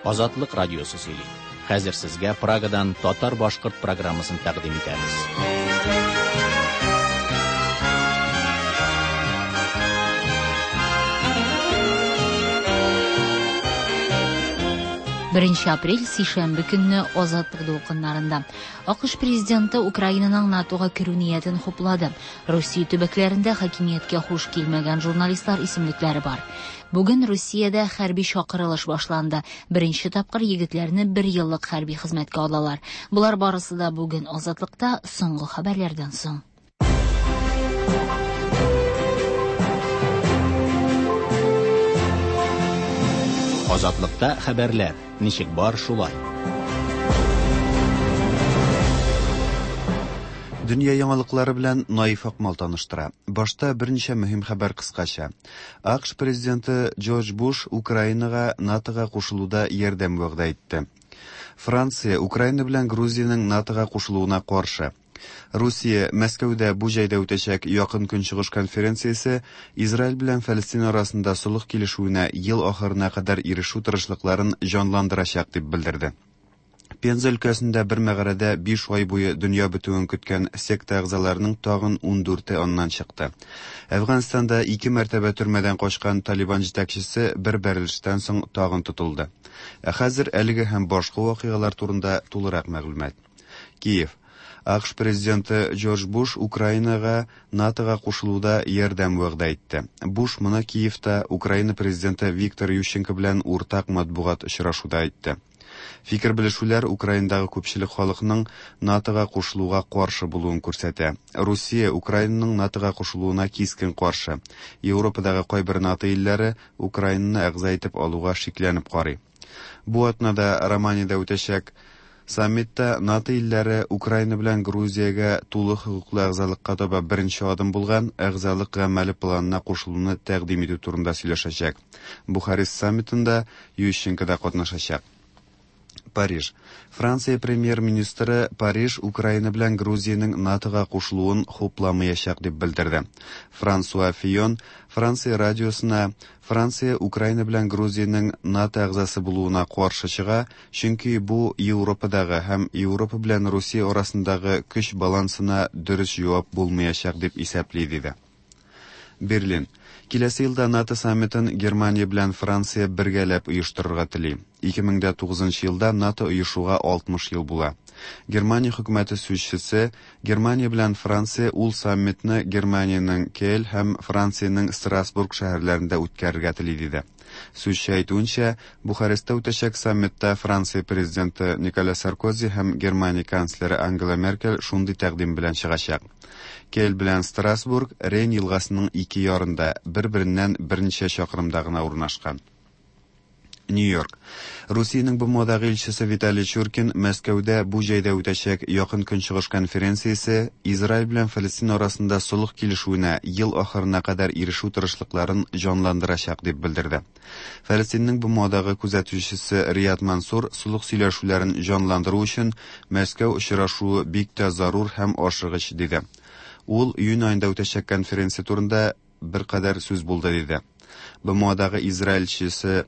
Азатлык радиосы сөйли. Хәзер сезгә Прагадан татар-башкорт программасын тәкъдим итәбез. Беренче апрель, сишәмбе көнне Азатлык дулкыннарында. АКШ президенты Украинаның НАТОга керү ниятен хуплады. Русия төбәкләрендә хакимияткә хуш килмәгән журналистлар исемлекләре бар. Бүген Русиядә хәрби чакырылыш башланды. Беренче тапкыр егетләрне бер еллык хәрби хезмәткә алалар. Болар барысы да бүген Азатлыкта соңгы хәбәрләрдән соң. Азатлыкта хәбәрләр ничек бар шулай. Дөнья яңалыклары белән Наиф Акмал таныштыра. Башта берничә мөһим хәбәр кыскача. АКШ президенты Джордж Буш Украинага НАТОга кушылуда ярдәм вәгъдә итте. Франция Украина белән Грузиянең НАТОга кушылуына каршы. Русия Мәскәүдә бу җәйдә үтәчәк Якын Көнчыгыш конференциясе Израиль белән Фәлестин арасында солых килешүенә ел ахырына кадәр ирешү тырышлыкларын җанландырачак дип белдерде. Пенза өлкәсендә бер мәгарәдә биш ай буе дөнья бетүен көткән секта әгъзаларының тагын ундүрте аннан чыкты. Әфганстанда ике мәртәбә төрмәдән качкан Талибан җитәкчесе бер бәрелештән соң тагын тотылды. Ә хәзер әлеге һәм башка вакыйгалар турында тулырак мәгълүмат. Киев. АКШ президенты Джордж Буш Украинага НАТОга кушылуда ярдәм вәгъдә итте. Буш моны Киевта Украина президенты Виктор Ющенко белән уртак матбугат очрашуда әйтте. Фикер белешүләр Украинадагы күпчелек халыкның НАТОга кушылуга каршы булуын күрсәтә. Русия Украинаның НАТОга кушылуына кискен каршы. Европадагы кайбер НАТО илләре Украинаны әгъза итеп алуга шикләнеп карый. Бу атнада Романиядә үтәчәк саммитта НАТО илләре Украина белән Грузиягә тулы хокуклы әгъзалыкка таба беренче адым булган әгъзалык гамәле планына кушылуны тәкъдим итү турында сөйләшәчәк. Бухарест саммитында Ющенко да катнашачак. Париж. Франция премьер-министры Париж Украина белән Грузиянең НАТОга кушылуын хупламаячак дип белдерде. Франсуа Фион Франция радиосына Франция Украина белән Грузиянең НАТО әгъзасы булуына каршы чыга, чөнки бу Европадагы һәм Европа белән Русия арасындагы көч балансына дөрес җавап булмаячак дип исәпли диде. Берлин. Киләсе елда НАТО саммитын Германия белән Франция бергәләп оештырырга тели. 2009 елда НАТО оешуга 60 ел була. Германия хөкүмәте сүзчесе Германия белән Франция ул саммитны Германиянең Кель һәм Франциянең Страсбург шәһәрләрендә үткәрергә тели диде. Сүзче әйтүенчә, Бухарестта үтәчәк саммитта Франция президенты Николя Саркози һәм Германия канцлеры Ангела Меркель шундый тәкъдим белән чыгачак. Кель белән Страсбург Рейн елгасының ике ярында, бер-береннән берничә чакрымда гына урнашкан. Нью-Йорк. Русиянең БМОдагы илчесе Виталий Чуркин Мәскәүдә бу җәйдә үтәчәк Якын Көнчыгыш конференциясе Израиль белән Фәлестин арасында солых килешүенә ел ахырына кадәр ирешү тырышлыкларын җанландырачак дип белдерде. Фәлестиннең БМОдагы күзәтүчесе Риад Мансур солых сөйләшүләрен җанландыру өчен Мәскәү очрашуы бик тә зарур һәм ашыгыч диде. Ул июнь аенда үтәчәк конференция турында беркадәр сүз булды диде. БМОдагы Израиль илчесе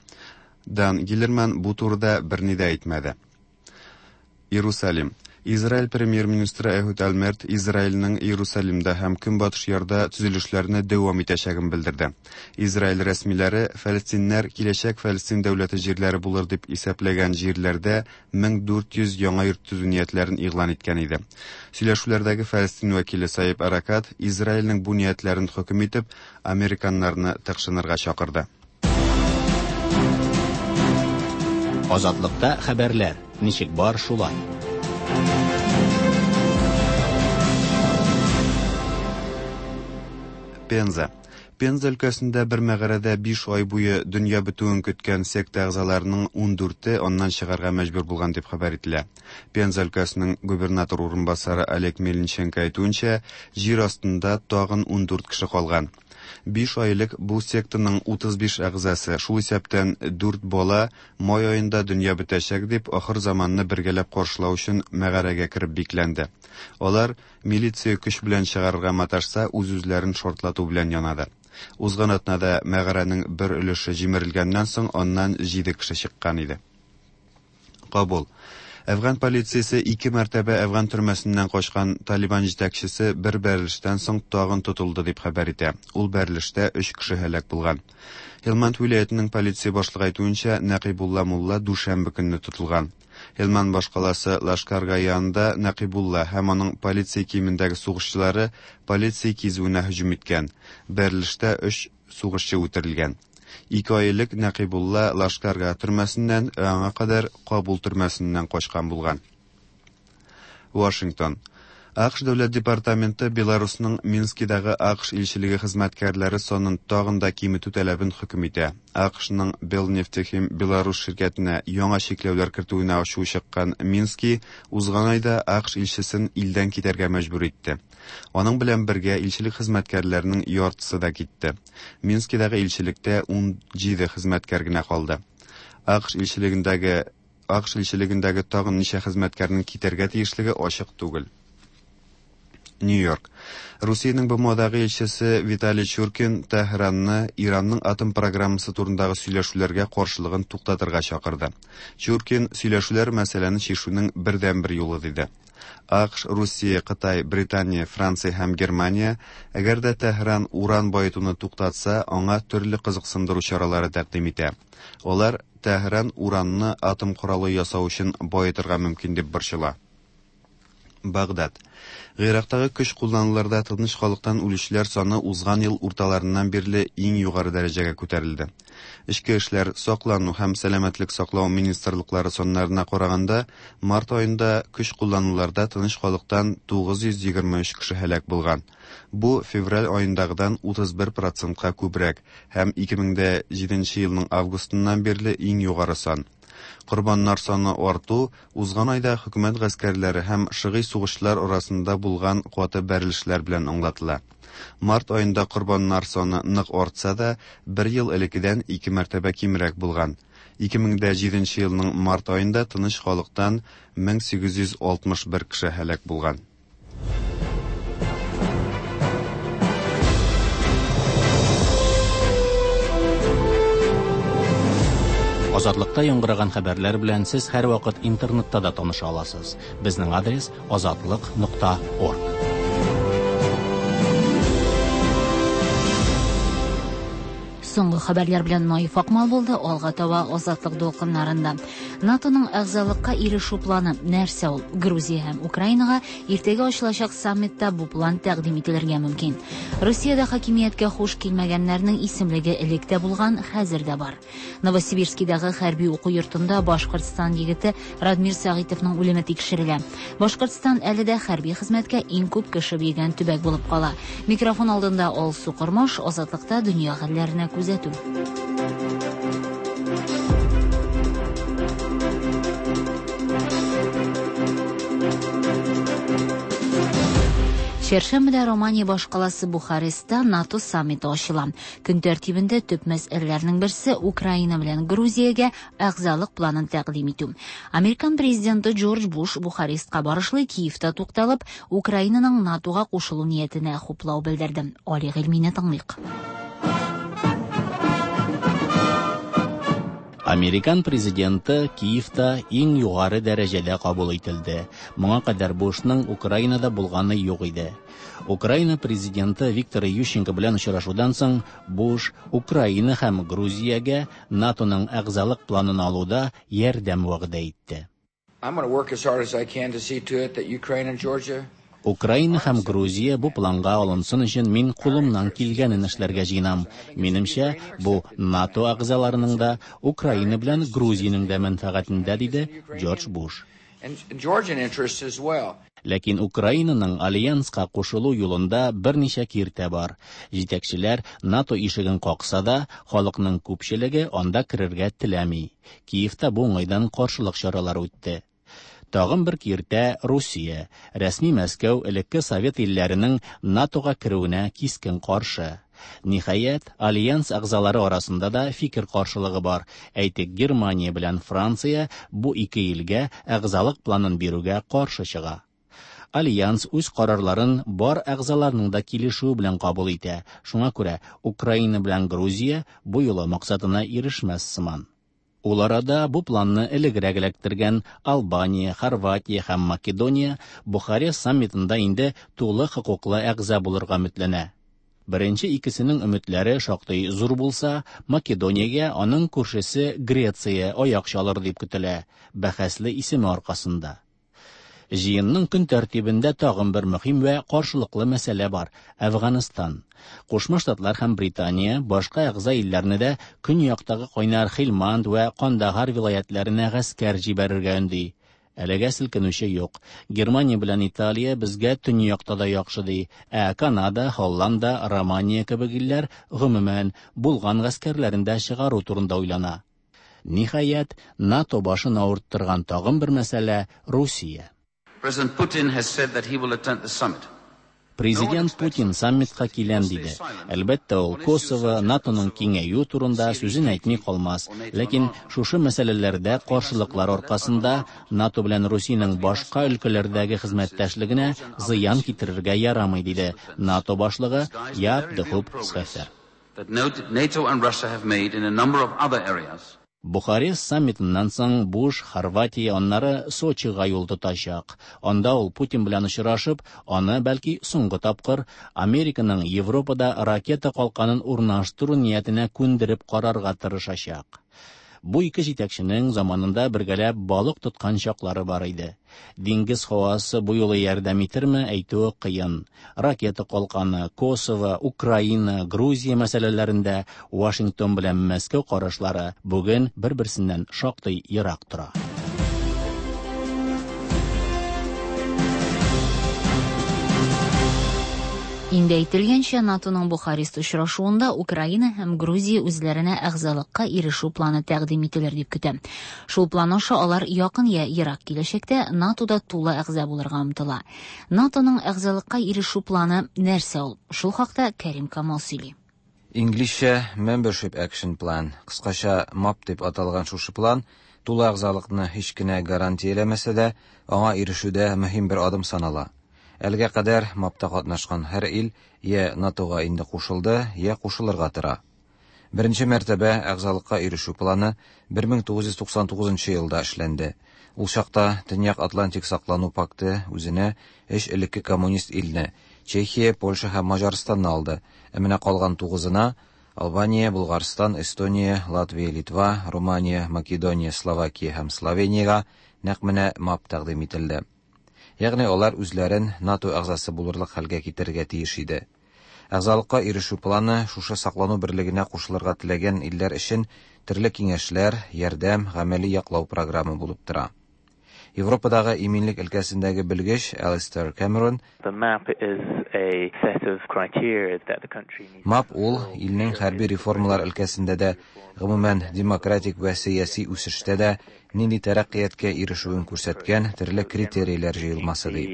Дан Гиллерман бу турыда берни дә әйтмәде. Иерусалим. Израиль премьер-министры Эхуд Ольмерт Израильнең Иерусалимда һәм Көнбатыш ярда төзелешләрне дәвам итәчәген белдерде. Израиль рәсмиләре фәлестиннәр киләчәк Фәлестин дәүләте җирләре булыр дип исәпләгән җирләрдә 1400 яңа йорт төзү ниятләрен игълан иткән иде. Сөйләшүләрдәге Фәлестин вәкиле Саиб Аракат Израильнең бу ниятләрен хөкем итеп, американнарны тыкшынырга чакырды. Азатлыкта хәбәрләр ничек бар шулай. Пенза. Пенза өлкәсендә бер мәгарәдә биш ай буе дөнья бетүен көткән секта әгъзаларының ундүрте аннан чыгарга мәҗбүр булган дип хәбәр ителә. Пенза өлкәсенең губернатор урынбасары Олег Мельниченко әйтүенчә, җир астында тагын ундүрт кеше калган. Биш ай элек бу сектаның 35 әгъзасы, шул исәптән 4 бала, май аенда дөнья бетәчәк дип, ахыр заманны бергәләп каршылау өчен мәгарәгә кереп бикләнде. Алар милиция көч белән чыгарырга маташса, үз-үзләрен шартлату белән янады. Узган атнада мәгарәнең бер өлеше җимерелгәннән соң аннан 7 кеше чыккан иде. Кабул. Әфган полициясе ике мәртәбә әфган төрмәсеннән качкан Талибан җитәкчесе бер бәрелештән соң тагын тотылды дип хәбәр итә. Ул бәрелештә өч кеше һәлак булган. Һелманд вилаятының полиция башлыгы әйтүенчә, Нәкыйбулла мулла дүшәмбе көнне тотылган. Һелманд башкаласы Лашкарга янында Нәкыйбулла һәм аның полиция киемендәге сугышчылары полиция кизүенә һөҗүм иткән. Бәрелештә өч сугышчы үтерелгән. Ике ай элек Нәкыйбулла Лашкарга төрмәсеннән, ә аңа кадәр Кабул төрмәсеннән качкан булган. Вашингтон. АКШ дәүләт департаменты Беларусның Минскидагы АКШ илчелеге хезмәткәрләре санын тагын да киметү таләбен хөкем итә. АКШның Белнефтехим Беларус ширкәтенә яңа чикләүләр кертүенә ачуы чыккан Мински узган айда АКШ илчесен илдән китәргә мәҗбүр итте. Аның белән бергә илчелек хезмәткәрләренең яртысы да китте. Минскидагы илчелектә 17 хезмәткәр генә калды. АКШ илчелегендәге АКШ илчелегендәге тагын ничә хезмәткәрнең китәргә тиешлеге ачык түгел. Нью-Йорк. Русиянең БМОдагы илчесе Виталий Чуркин Тәһранны Иранның атом программасы турындагы сөйләшүләргә каршылыгын туктатырга чакырды. Чуркин сөйләшүләр мәсьәләне чишүнең бердәнбер юлы диде. АКШ, Русия, Кытай, Британия, Франция һәм Германия, әгәр дә Тәһран уран баетуны туктатса, аңа төрле кызыксындыру чаралары тәкъдим итә. Алар Тәһран уранны атом коралы ясау өчен баетырга мөмкин дип борчыла. Багдад. Гыйрактагы көч куллануларда тыныч халыктан үлүчеләр саны узган ел урталарыннан бирле иң югары дәрәҗәгә күтәрелде. Эчке эшләр, саклану һәм сәламәтлек саклау министрлыклары саннарына караганда, март аенда көч куллануларда тыныч халыктан 923 кеше һәлак булган. Бу февраль аендагыдан 31 процентка күбрәк һәм 2007 елның августыннан бирле иң югары сан. Корбаннар саны арту узган айда хөкүмәт гаскәрләре һәм шыгый сугышчылар арасында булган каты бәрелешләр белән аңлатыла. Март аенда корбаннар саны нык артса да, бер ел элеккедән ике мәртәбә кимрәк булган. 2007 елның март аенда тыныч халыктан 1861 кеше һәлак булган. Азатлыкта яңгыраган хәбәрләр белән сез һәрвакыт интернетта да таныша аласыз. Безнең адрес azatliq.org. Соңгы хәбәрләр белән Наиф Акмал булды. Алга таба Азатлык дулкыннарында. НАТОның әгъзалыкка ирешү планы нәрсә ул? Грузия һәм Украинага иртәгә ачылачак саммитта бу план тәкъдим ителергә мөмкин. Русиядә хакимияткә хуш килмәгәннәрнең исемлеге элек тә булган, хәзер дә бар. Новосибирскидагы хәрби уку йортында Башкортстан егете Радмир Сәгыйтовның үлеме тикшерелә. Башкортстан әле дә хәрби хезмәткә иң күп кеше биргән төбәк булып кала. Микрофон алдында Алсу Кормаш, Азатлыкта дөнья хәлләренә күзәтү. Чәршәмбедә Романия башкаласы Бухарестта НАТО саммиты ачыла. Көн тәртибендә төп мәсьәләләрнең берсе Украина белән Грузиягә әгъзалык планын тәкъдим итү. Американ президенты Джордж Буш Бухарестка барышлый Киевта тукталып, Украинаның НАТОга кушылу ниятенә хуплау белдерде. Али Гыйльмине тыңлыйк. Американ президенты Киевта иң югары дәрәҗәдә кабул ителде. Моңа кадәр Бушның Украинада булганы юк иде. Украина президенты Виктор Ющенко белән очрашудан соң Буш Украина һәм Грузиягә НАТОның әгъзалык планын алуда ярдәм вәгъдә итте. I'm going to work as hard as I can to see to it that Ukraine and Georgia Украина һәм Грузия бу планга алынсын өчен мин кулымнан килгәнен эшләргә җыенам. Минемчә, бу НАТО әгъзаларының да, Украина белән Грузиянең дә мәнфәгатендә, диде Джордж Буш. and Georgian interests as well. Ләкин Украинаның альянска кушылу юлында берничә киртә бар. Җитәкчеләр НАТО ишеген какса да, халыкның күпчелеге анда керергә теләми. Киевта бу уңайдан каршылык чаралары үтте. Тагын бер киртә Русия. Рәсми Мәскәү элекке Совет илләренең НАТОга керүенә кискен каршы. Ниһаять, альянс әгъзалары арасында да фикер каршылыгы бар. Әйтик, Германия белән Франция бу ике илгә әгъзалык планын бирүгә каршы чыга. Альянс үз карарларын бар әгъзаларның да килешүе белән кабул итә. Шуңа күрә Украина белән Грузия бу юлы максатына ирешмәс сыман. Ул арада бу планны элегрәк эләктергән Албания, Хорватия һәм Македония Бухарест саммитында инде тулы хокуклы әгъза булырга өметләнә. Беренче икесенең өметләре шактый зур булса, Македониягә аның күршесе Греция аяк чалыр дип көтелә, бәхәсле исеме аркасында. Җыенның көн тәртибендә тагын бер мөһим вә каршылыклы мәсьәлә бар – Әфганстан. Кушма Штатлар һәм Британия башка әгъза илләрне дә көньяктагы кайнар Хилманд вә Кандагар вилаятләренә гаскәр җибәрергә өнди. Әлегә селкенүче юк. Германия белән Италия безгә төньякта да яхшы ди, ә Канада, Һолланда, Романия кебек илләр, гомумән, булган гаскәрләрен дә чыгару турында уйлана. Ниһаять, НАТО башын авырттырган тагын бер мәсьәлә – Русия. President Putin has said that he will attend the summit. Президент Путин саммитка киләм диде. Әлбәттә, ул Косово, НАТОның киңәюе турында сүзен әйтми калмас. Ләкин шушы мәсьәләләрдә каршылыклар аркасында НАТО белән Русиянең башка өлкәләрдәге хезмәттәшлегенә зыян китерергә ярамый, диде НАТО башлыгы Яап де Хуп Схефер. That NATO and Russia have made in a number of other areas. Бухарест саммитыннан соң Буш Хорватия, аннары Сочига юл тотачак. Анда ул Путин белән очрашып, аны, бәлки, соңгы тапкыр Американың Европада ракета калканын урнаштыру ниятенә күндереп карарга тырышачак. Бу ике җитәкченең заманында бергәләп балык тоткан чаклары бар иде. Диңгез һавасы бу юлы ярдәм итерме, әйтүе кыен. Ракета калканы, Косово, Украина, Грузия мәсьәләләрендә Вашингтон белән Мәскәү карашлары бүген бер-берсеннән шактый ерак тора. Инде әйтелгәнчә, НАТОның Бухарест очрашуында Украина һәм Грузия үзләренә әгъзалыкка ирешү планы тәкъдим ителер дип көтә. Шул план аша алар якын я ерак киләчәктә НАТОда тулы әгъза булырга омтыла. НАТОның әгъзалыкка ирешү планы нәрсә ул? Шул хакта Кәрим Камал сөйли. Инглизчә Membership Action Plan, кыскача МАП дип аталган шушы план тулы әгъзалыкны һич кенә гарантияләмәсә дә, аңа ирешүдә мөһим бер адым санала. Әлегә кадәр МАПта катнашкан һәр ил я НАТОга инде кушылды, я кушылырга тора. Беренче мәртәбә әгъзалыкка ирешү планы 1999 елда эшләнде. Ул чакта Төньяк Атлантик саклану пакты үзенә өч элекке коммунист илне Чехия, Польша һәм Маҗарстанны алды. Ә менә калган тугызына Албания, Булгарстан, Эстония, Латвия, Литва, Румыния, Македония, Словакия һәм Словениягә нәкъ менә МАП тәкъдим ителде. Ягъни алар үзләрен НАТО әгъзасы булырлык хәлгә китерергә тиеш иде. Әгъзалыкка ирешү планы шушы саклану берлегенә кушылырга теләгән илләр өчен төрле киңәшләр, ярдәм, гамәли яклау програмы булып тора. Европадагы иминлек өлкәсендәге белгеч Алистер Кэмерон МАП ул илнең хәрби реформалар өлкәсендә дә, гомумән демократик вә сәяси үсештә дә нинди тәрәккыятькә ирешүен күрсәткән төрле критерийләр җыелмасы ди.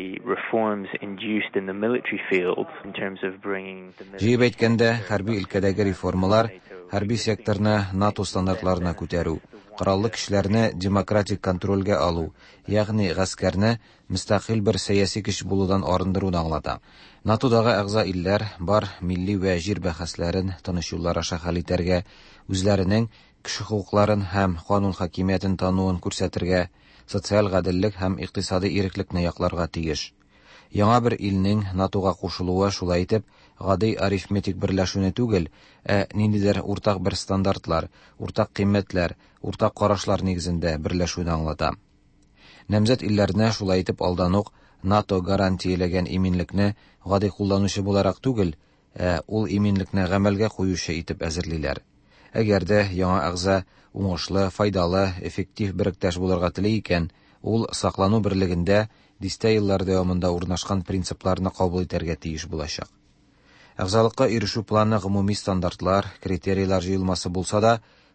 Җыеп әйткәндә, хәрби өлкәдәге реформалар хәрби секторны НАТО стандартларына күтәрү, кораллы көчләрне демократик контрольгә алу, ягъни гаскәрне мөстәкыйль бер сәяси көч булудан арындыруны аңлата. НАТОдагы әгъза илләр бар милли вә җир бәхәсләрен тыныч юллар аша хәл итәргә, үзләренең кеше хокукларын һәм канун хакимиятен тануын күрсәтергә, социаль гаделлек һәм икътисади иреклекне якларга тиеш. Яңа бер илнең НАТОга кушылуы шулай итеп гади арифметик берләшүне түгел, ә ниндидер уртак бер стандартлар, уртак кыйммәтләр, уртак карашлар нигезендә берләшүне аңлата. Намзәт илләрне шулай итеп алдан ук НАТО гарантияләгән иминлекне гади кулланучы буларак түгел, ә ул иминлекне гамәлгә куючы итеп әзерлиләр. Әгәр дә яңа әгъза уңышлы, файдалы, эффектив беректәш булырга тели икән, ул саклану берлегендә дистә еллар дәвамында урнашкан принципларны кабул итәргә тиеш булачак. Әгъзалыкка ирешү планы гомуми стандартлар, критерийлар җыелмасы булса да,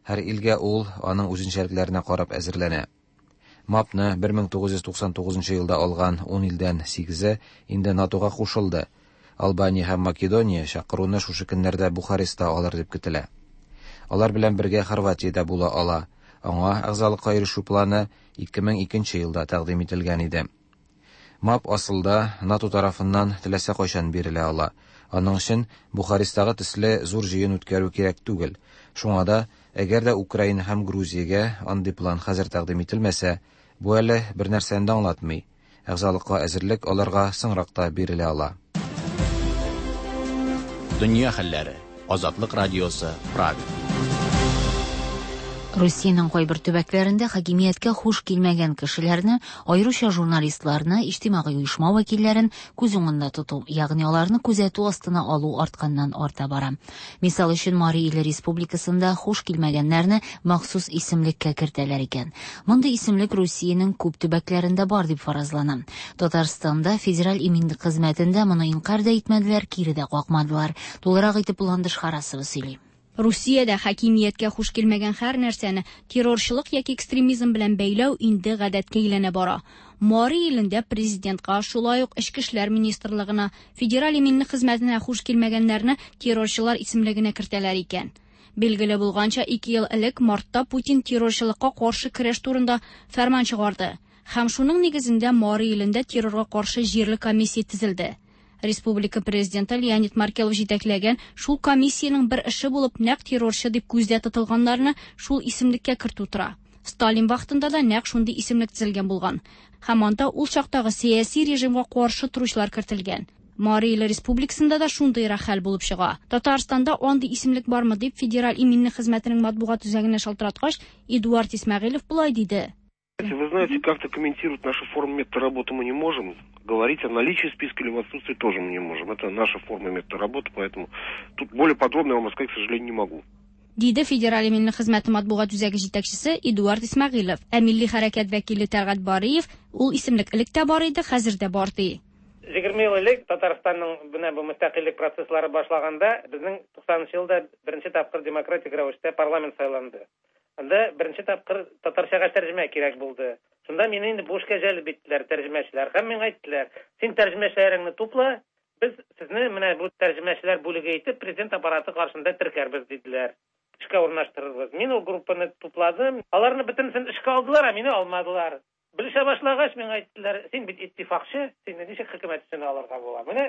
һәр илгә ул аның үзенчәлекләренә карап әзерләнә. МАПны 1999 елда алган 10 илдән 8-е инде НАТОга кушылды. Албания һәм Македония чакыруны шушы көннәрдә Бухареста алыр дип көтелә. Алар белән бергә Хорватия дә була ала. Аңа әгъзалыкка ирешү планы 2002 елда тәкъдим ителгән иде. МАП асылда НАТО тарафыннан теләсә кайчан бирелә ала. Аның өчен Бухарестагы төсле зур җыен үткәрү кирәк түгел. Шуңа да Әгәр дә Украина һәм Грузиягә андый план хәзер тәкъдим ителмәсә, бу әле бернәрсәне дә аңлатмый. Әгъзалыкка әзерлек аларга соңрак та бирелә ала. Дөнья хәлләре. Азатлык радиосы, Прага. Русиянең кайбер төбәкләрендә хакимияткә хуш килмәгән кешеләрне, аеруча журналистларны, иҗтимагый оешма вәкилләрен күз уңында тоту, ягъни аларны күзәтү астына алу артканнан арта бара. Мисал өчен, Мари Иле республикасында хуш килмәгәннәрне махсус исемлеккә кертәләр икән. Мондый исемлек Русиянең күп төбәкләрендә бар дип фаразлана. Татарстанда Федераль иминлек хезмәтендә моны инкарь дә итмәделәр, кире дә какмадылар. Тулырак итеп Ландыш Харасова сөйли. Русиядә хакимияткә хуш килмәгән һәр нәрсәне террорчылык яки экстремизм белән бәйләү инде гадәткә әйләнә бара. Мари Илендә президентка, шулай ук Эчке эшләр министрлыгына, Федераль иминлек хезмәтенә хуш килмәгәннәрне террорчылар исемлегенә кертәләр икән. Билгеле булганча, 2 ел элек мартта Путин террорчылыкка каршы көрәш турында фәрман чыгарды. Һәм шуның нигезендә Мари Илендә террорга каршы җирле комиссия төзелде. Республика президенты Леонид Маркелов җитәкләгән шул комиссиянең бер эше булып нәкъ террорчы дип күздә тотылганнарны шул исемлеккә кертү тора. Сталин вакытында да нәкъ шундый исемлек төзелгән булган. Һәм анда ул чактагы сәяси режимга каршы торучылар кертелгән. Мари Иле республикасында да шундыйрак хәл булып чыга. Татарстанда андый исемлек бармы дип Федераль иминлек хезмәтенең матбугат үзәгенә шалтыраткач, Эдуард Исмәгыйлев болай диде. Вы знаете, как-то комментировать нашу форму метода работы мы не можем. Говорить о наличии списка или в отсутствии тоже мы не можем. Это наша форма метода работы, поэтому тут более подробно я вам рассказать, к сожалению, не могу. Диде Федераль иминлек хезмәте матбугат үзәге җитәкчесе Эдуард Исмәгыйлев. Ә милли хәрәкәт вәкиле Тәлгать Бариев ул исемлек элек тә бар иде, хәзер дә бар ди. 20 ел элек Татарстанның менә бу мөстәкыйльлек процесслары башлаганда безнең 90 елда беренче тапкыр демократик рәвештә парламент сайланды. Анда беренче тапкыр татарчага тәрҗемә кирәк булды. Шунда мине инде бу эшкә җәлеп иттеләр тәрҗемәчеләр. Һәм миңа әйттеләр, син тәрҗемәчеләреңне тупла, без сезне менә бу тәрҗемәчеләр бүлеге итеп президент аппараты каршында теркәрбез диделәр. Эшкә урнаштырырбыз. Мин ул группаны тупладым. Аларны бөтенесен эшкә алдылар, ә мине алмадылар. Белешә башлагач, миңа әйттеләр, син бит иттифакчы, сине ничек хөкүмәт эшенә алырга була? Менә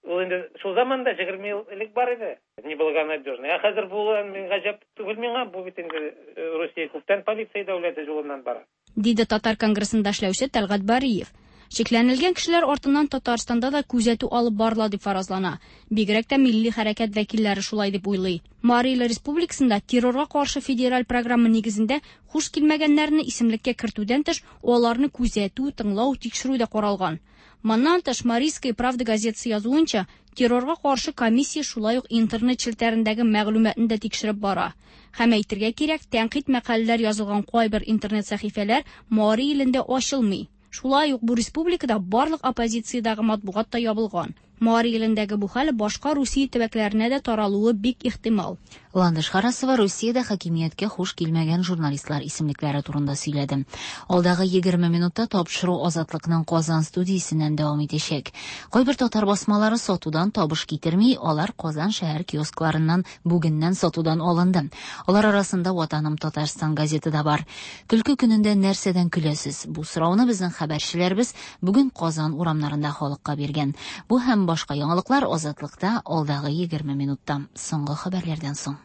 ул инде шул заманда 20 ел элек бар иде. Неблагонадежный. Ә хәзер бу мин гаҗәп түгел миңа, бу бит инде Русия күптән полиция дәүләте юлыннан бара. Диде Татар конгрессында эшләүче Тәлгать Бариев. Шикләнелгән кешеләр артыннан Татарстанда да күзәтү алып барыла дип фаразлана. Бигрәк тә милли хәрәкәт вәкилләре шулай дип уйлый. Мари Иле республикасында террорга каршы федераль программа нигезендә хуш килмәгәннәрне исемлеккә кертүдән тыш, аларны күзәтү, тыңлау, тикшерү дә каралган. Моннан тыш, Марийская правда газетасы язуынча, террорга каршы комиссия шулай ук интернет челтәрендәге мәгълүматны да тикшереп бара. Һәм әйтергә кирәк, тәнкыйть мәкаләләр язылган кайбер интернет сәхифәләр Мари Илендә ачылмый. Шулай ук бу республикада барлык оппозициядәге матбугат та ябылган. Мари Илендәге бу хәл башка Русия төбәкләренә дә таралуы бик ихтимал. Ландыш Харасова Русиядә хакимияткә хуш килмәгән журналистлар исемлекләре турында сөйләде. Алдагы 20 минутта тапшыру Азатлыкның Казан студиясеннән дәвам итәчәк. Кайбер татар басмалары сатудан табыш китерми, алар Казан шәһәр киоскларыннан бүгеннән сатудан алынды. Алар арасында Ватаным Татарстан газеты да бар. Көлке көнендә нәрсәдән көләсез? Бу сорауны безнең хәбәрчеләребез бүген Казан урамнарында халыкка биргән. Бу һәм башка яңалыклар Азатлыкта алдагы 20 минутта. Соңгы хәбәрләрдән соң.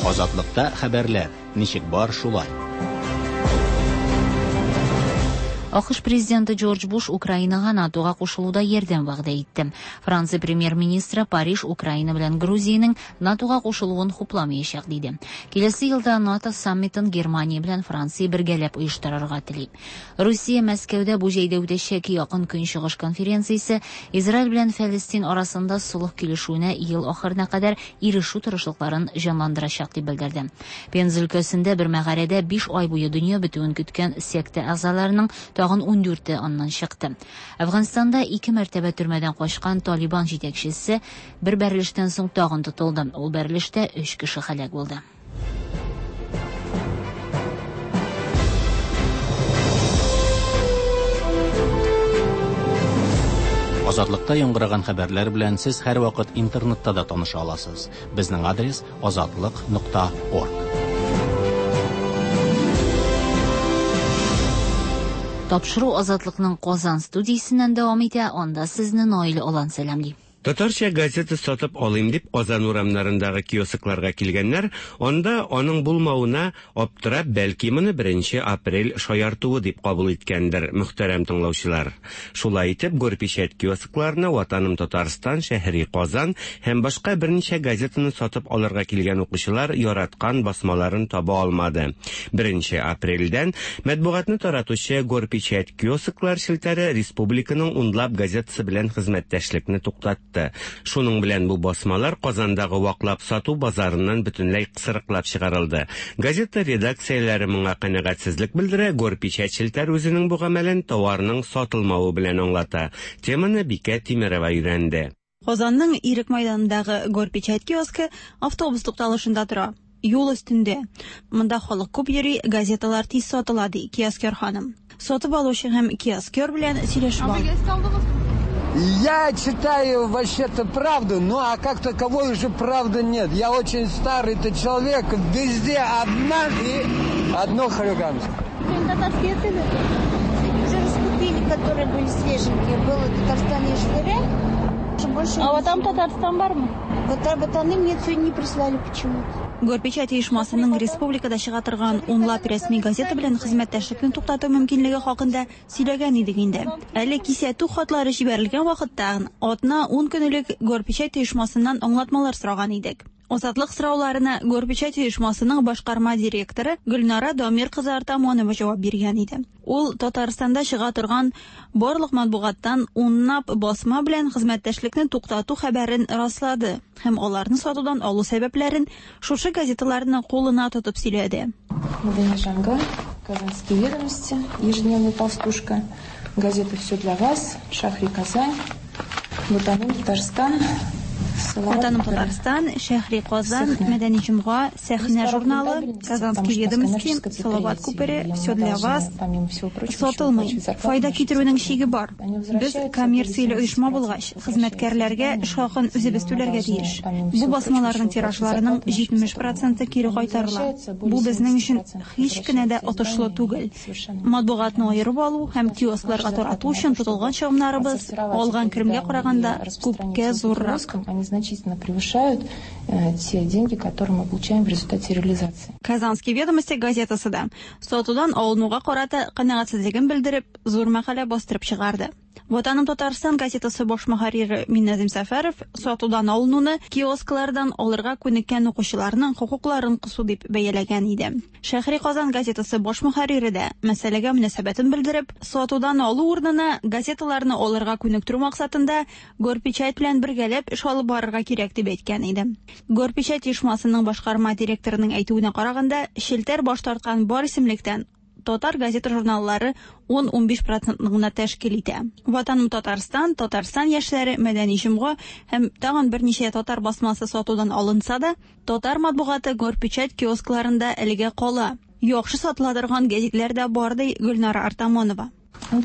Азатлыкта хәбәрләр ничек бар шулай. АКШ президенты Джордж Буш Украинага НАТОга кушылуда ярдәм вәгъдә итте. Франция премьер-министры Париж Украина белән Грузиянең НАТОга кушылуын хупламаячак диде. Киләсе елда НАТО саммитын Германия белән Франция бергәләп оештырырга тели. Русия Мәскәүдә бу җәйдә үтәчәк Якын Көнчыгыш конференциясе Израиль белән Фәлестин арасында солых килешүенә ел ахырына кадәр ирешү тырышлыкларын җанландырачак дип белдерде. Пенза өлкәсендә бер мәгарәдә 5 ай буе дөнья бетүен көткән секта әгъзаларының тагын 14-е аннан чыкты. Әфганстанда 2 мәртәбә төрмәдән качкан Талибан җитәкчесе бер бәрелештән соң тагын тотылды. Ул бәрелештә 3 кеше һәлак булды. Азатлыкта яңгыраган хәбәрләр белән сез һәрвакыт интернетта да таныша аласыз. Безнең адрес azatliq.org. Тапшыру Азатлыкның Казан студиясеннән дәвам итә, анда сезне Наил Алан сәламли. Татарча газета сатып алыйм дип Казан урамнарындагы киоскларга килгәннәр, анда аның булмавына аптырап, бәлки моны 1 апрель шаяртуы дип кабул иткәндер, мөхтәрәм тыңлаучылар. Шулай итеп, Горпечать киоскларына Ватаным Татарстан, Шәһри Казан һәм башка берничә газетаны сатып алырга килгән укучылар яраткан басмаларын таба алмады. 1 апрельдән матбугатны таратучы Горпечать киосклар челтәре республиканың унлап газетасы белән хезмәттәшлекне туктатты. Шуның белән бу басмалар Казандагы ваклап сату базарыннан бөтенләй кысрыклап чыгарылды. Газета редакцияләре моңа канәгатьсезлек белдерә, Горпечать челтәр үзенең бу гамәлен товарның сатылмавы белән аңлата. Теманы Бикә Тимерова өйрәнде. Казанның Ирек майданындагы Горпечать киоскы автобус тукталышында тора. Юл өстендә. Монда халык күп йөри, газеталар тиз сатыла, ди киоскер ханым. Сатып алучы һәм киоскер белән сөйләшеп алдык. Я читаю вообще-то правду, ну а как таковой уже правды нет. Я очень старый-то человек, везде обман и одно хулиганство. Татарские цены уже раскупили, которые были свеженькие. Было Татарстан Яшьләре. Больше а вот там Татарстан бармы? Ватаны мне сегодня не прислали почему-то. Горпечать оешмасының республикада чыга торган унлап рәсми газета белән хезмәттәшлекне туктату мөмкинлеге хакында сөйләгән идек инде. Әле кисәтү хатлары җибәрелгән вакытта атна 10 көн элек Горпечать оешмасыннан аңлатмалар сораган идек. Азатлык сорауларына Горпечать оешмасының башкарма директоры Гөлнара Дамир кызы Артамонова җавап биргән иде. Ул Татарстанда чыга торган барлык матбугаттан унлап басма белән хезмәттәшлекне туктату хәбәрен раслады һәм аларны сатудан алу сәбәпләрен шушы газеталарны кулына тотып сөйләде. Мәдәни җомга, Казанские ведомости, ежедневная толстушка, газета «Все для вас», Шахри Казань, Ватаным Татарстан, Ватаным Татарстан, Шәһри Казан, Мәдәни җомга, Сәхнә журналы, Казанские ведомости, Салават күпере, Все для вас сатылмый. Файда китерүнең чиге бар. Без коммерцияле оешма булгач, хезмәткәрләргә эш хакын үзебез түләргә тиеш. Бу басмаларның тиражларының 70% кире кайтарыла. Бу безнең өчен һич кенә дә отышлы түгел. Матбугатны аерып алу һәм киоскларга тарату өчен тотылган чыгымнарыбыз алган керемгә караганда күпкә зуррак. Они значительно превышают те деньги, которые мы получаем в результате реализации. Казанские ведомости газетасы да сатудан алынуга карата канәгатьсезлеген белдереп, зур мәкалә бастырып чыгарды. Ватаным Татарстан газетасы баш мөхәррире Минназим Сәфәров сатудан алынуны киосклардан алырга күнеккән укучыларның хокукларын кысу дип бәяләгән иде. Шәһри Казан газетасы баш мөхәррире дә мәсьәләгә мөнәсәбәтен белдереп, сатудан алу урынына газеталарны алырга күнектерү максатында Горпечать белән бергәләп эш алып барырга кирәк дип әйткән иде. Горпечать оешмасының башкарма директорының әйтүенә караганда, челтәр баш тарткан бар исемлектән татар газета журналлары 10-15% гына тәшкил итә. Ватаным Татарстан, Татарстан яшьләре, Мәдәни җомга һәм тагын берничә татар басмасы сатудан алынса да, татар матбугаты Горпечать киоскларында әлегә кала. Яхшы сатыла торган гәзитләр дә бар, ди Гөлнара Артамонова.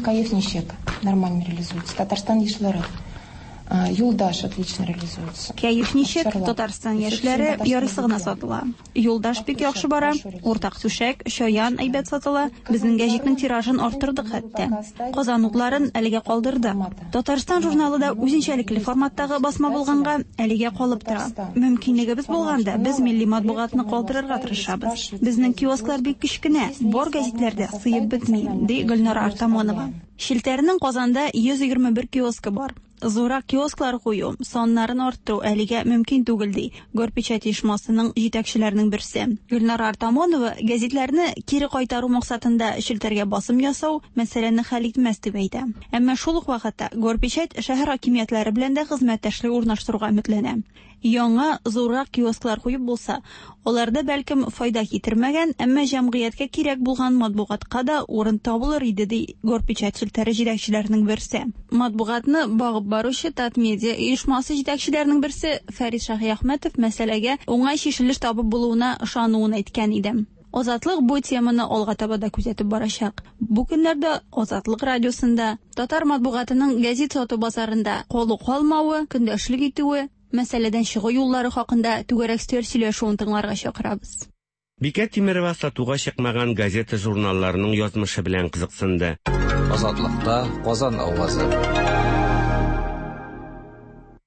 Каеф ничек нормально реализуется. Татарстан яшьләре. Юлдаш отлично реализуется. Кәеф ничек, Татарстан яшьләре ярыйсы гына сатыла. Юлдаш бик яхшы бара, уртак түшәк, Чаян әйбәт сатыла. Безнең гәҗитнең тиражын арттырдык хәтта. Казан утларын әлегә калдырдык. Татарстан журналы да үзенчәлекле форматтагы басма булганга әлегә калып тора. Мөмкинлегебез булганда без милли матбугатны калдырырга тырышабыз. Безнең киосклар бик кечкенә, бар гәзитләр дә сыеп бетми, ди Гөлнара Артамонова. Челтәрнең Казанда 121 киоскы бар. Зуррак киосклар кую, саннарын арттыру әлегә мөмкин түгел, ди Горпечать оешмасының җитәкчеләренең берсе. Гөлнара Артамонова гәзитләрне кире кайтару максатында челтәргә басым ясау мәсьәләне хәл итмәс дип әйтә. Әмма шул ук вакытта Горпечать шәһәр хакимиятләре белән дә хезмәттәшлек урнаштыруга өметләнә. Яңа зуррак киосклар куеп булса, аларда бәлкем файда китермәгән, әмма җәмгыятькә кирәк булган матбугатка да урын табылыр иде, ди Горпечать челтәре җитәкчеләренең берсе. Матбугатны багып баручы Татмедиа оешмасы җитәкчеләренең берсе Фәрит Шаһиәхмәтов мәсьәләгә уңай чишелеш табып булуына ышануын әйткән иде. Азатлык бу теманы алга таба да күзәтеп барачак. Бу көннәрдә Азатлык радиосында татар матбугатының гәзит сату базарында калу калмавы, көндәшлек итүе, мәсьәләдән чыгу юллары хакында түгәрәк өстәл сөйләшүен тыңларга чакырабыз. Бикә Тимерова сатуга чыкмаган газета-журналларның язмышы белән кызыксынды. Азатлыкта Казан авазы.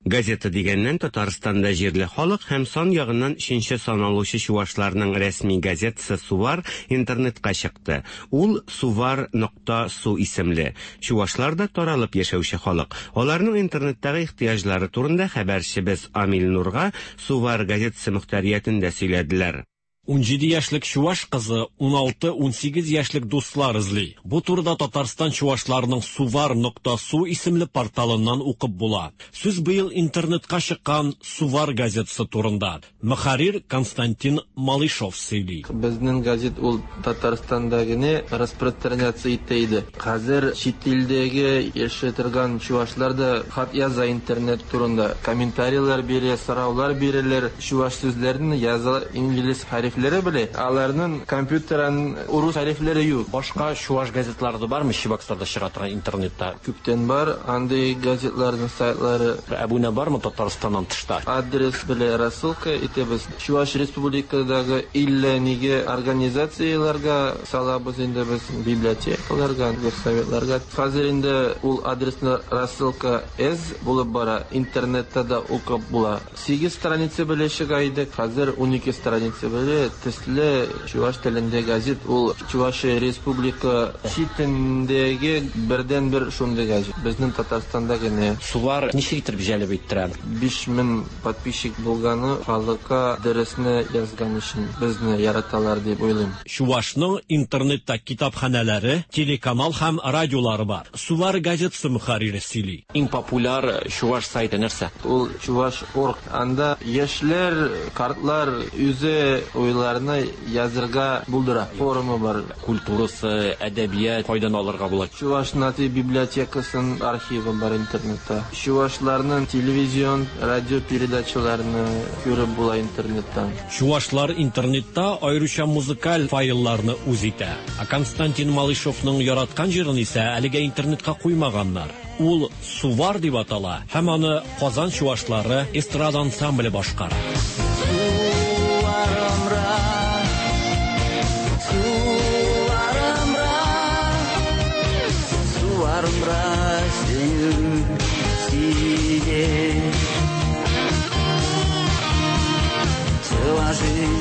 Газета дигәннән, Татарстанда җирле халык һәм сан ягыннан өченче саналучы чувашларның рәсми газетасы Сувар интернетка чыкты. Ул Сувар нокта су исемле. Чувашлар да таралып яшәүче халык. Аларның интернеттагы ихтыяҗлары турында хәбәрчебез Амил Нурга Сувар газетасы мөхтәриятендә сөйләделәр. 17 яшьлек чуваш кызы 16-18 яшьлек дуслар эзли. Бу турыда Татарстан чувашларының Сувар нокта су исемле порталыннан укып була. Сүз быел интернетка чыккан Сувар газетасы турында. Мөхәррир Константин Малышов сөйли. Безнең газет ул Татарстанда гына распространяться итә иде. Хәзер чит илдәге яши торган чувашлар да хат яза интернет турында. Комментарийлар бирә, сораулар бирәләр. Чуваш сүзләрен яза инглиз хәрефләре белә. Аларның компьютерын урыс хәрефләре юк. Башка чуваш газетлары да бармы Чебоксарда чыга торган интернетта? Күптән бар андый газетларның сайтлары. Әбүнә бармы Татарстаннан тышта? Адрес белән рассылка итәбез. Чуваш Республикадагы иллә нигә организацияләргә салабыз инде без, библиотекаларга, горсоветларга. Хәзер инде ул адресны рассылка әз булып бара, интернетта да укып була. 8 страница белән чыга идек, хәзер 12 страница белән төсле чуваш телендә газет. Ул Чувашия Республика читендәге бердәнбер шундый газет. Безнең Татарстанда гына. Сувар ничек итеп җәлеп иттерә? 5000 подписчик булганы халыкка дөресне язган өчен безне яраталар дип уйлыйм. Чувашның интернетта китапханәләре, телеканал һәм радиолары бар. Сувар газетасы мөхәррире сөйли. Иң популяр чуваш сайты нәрсә? Ул Чуваш орг. Анда яшьләр, картлар үзе уйларны язырга булдыра. Форумы бар. Культурасы, әдәбият кайдан алырга була? Чуваш наци библиотекасының архивы бар интернетта. Чувашларның телевизион, радио передачаларны күреп була интернеттан. Чувашлар интернетта аеруча музыкаль файлларны үз итә. Ә Константин Малышовның яраткан җырын исә әлегә интернетка куймаганнар. Ул Сувар дип атала һәм аны Казан чувашлары эстрада ансамбле башкара.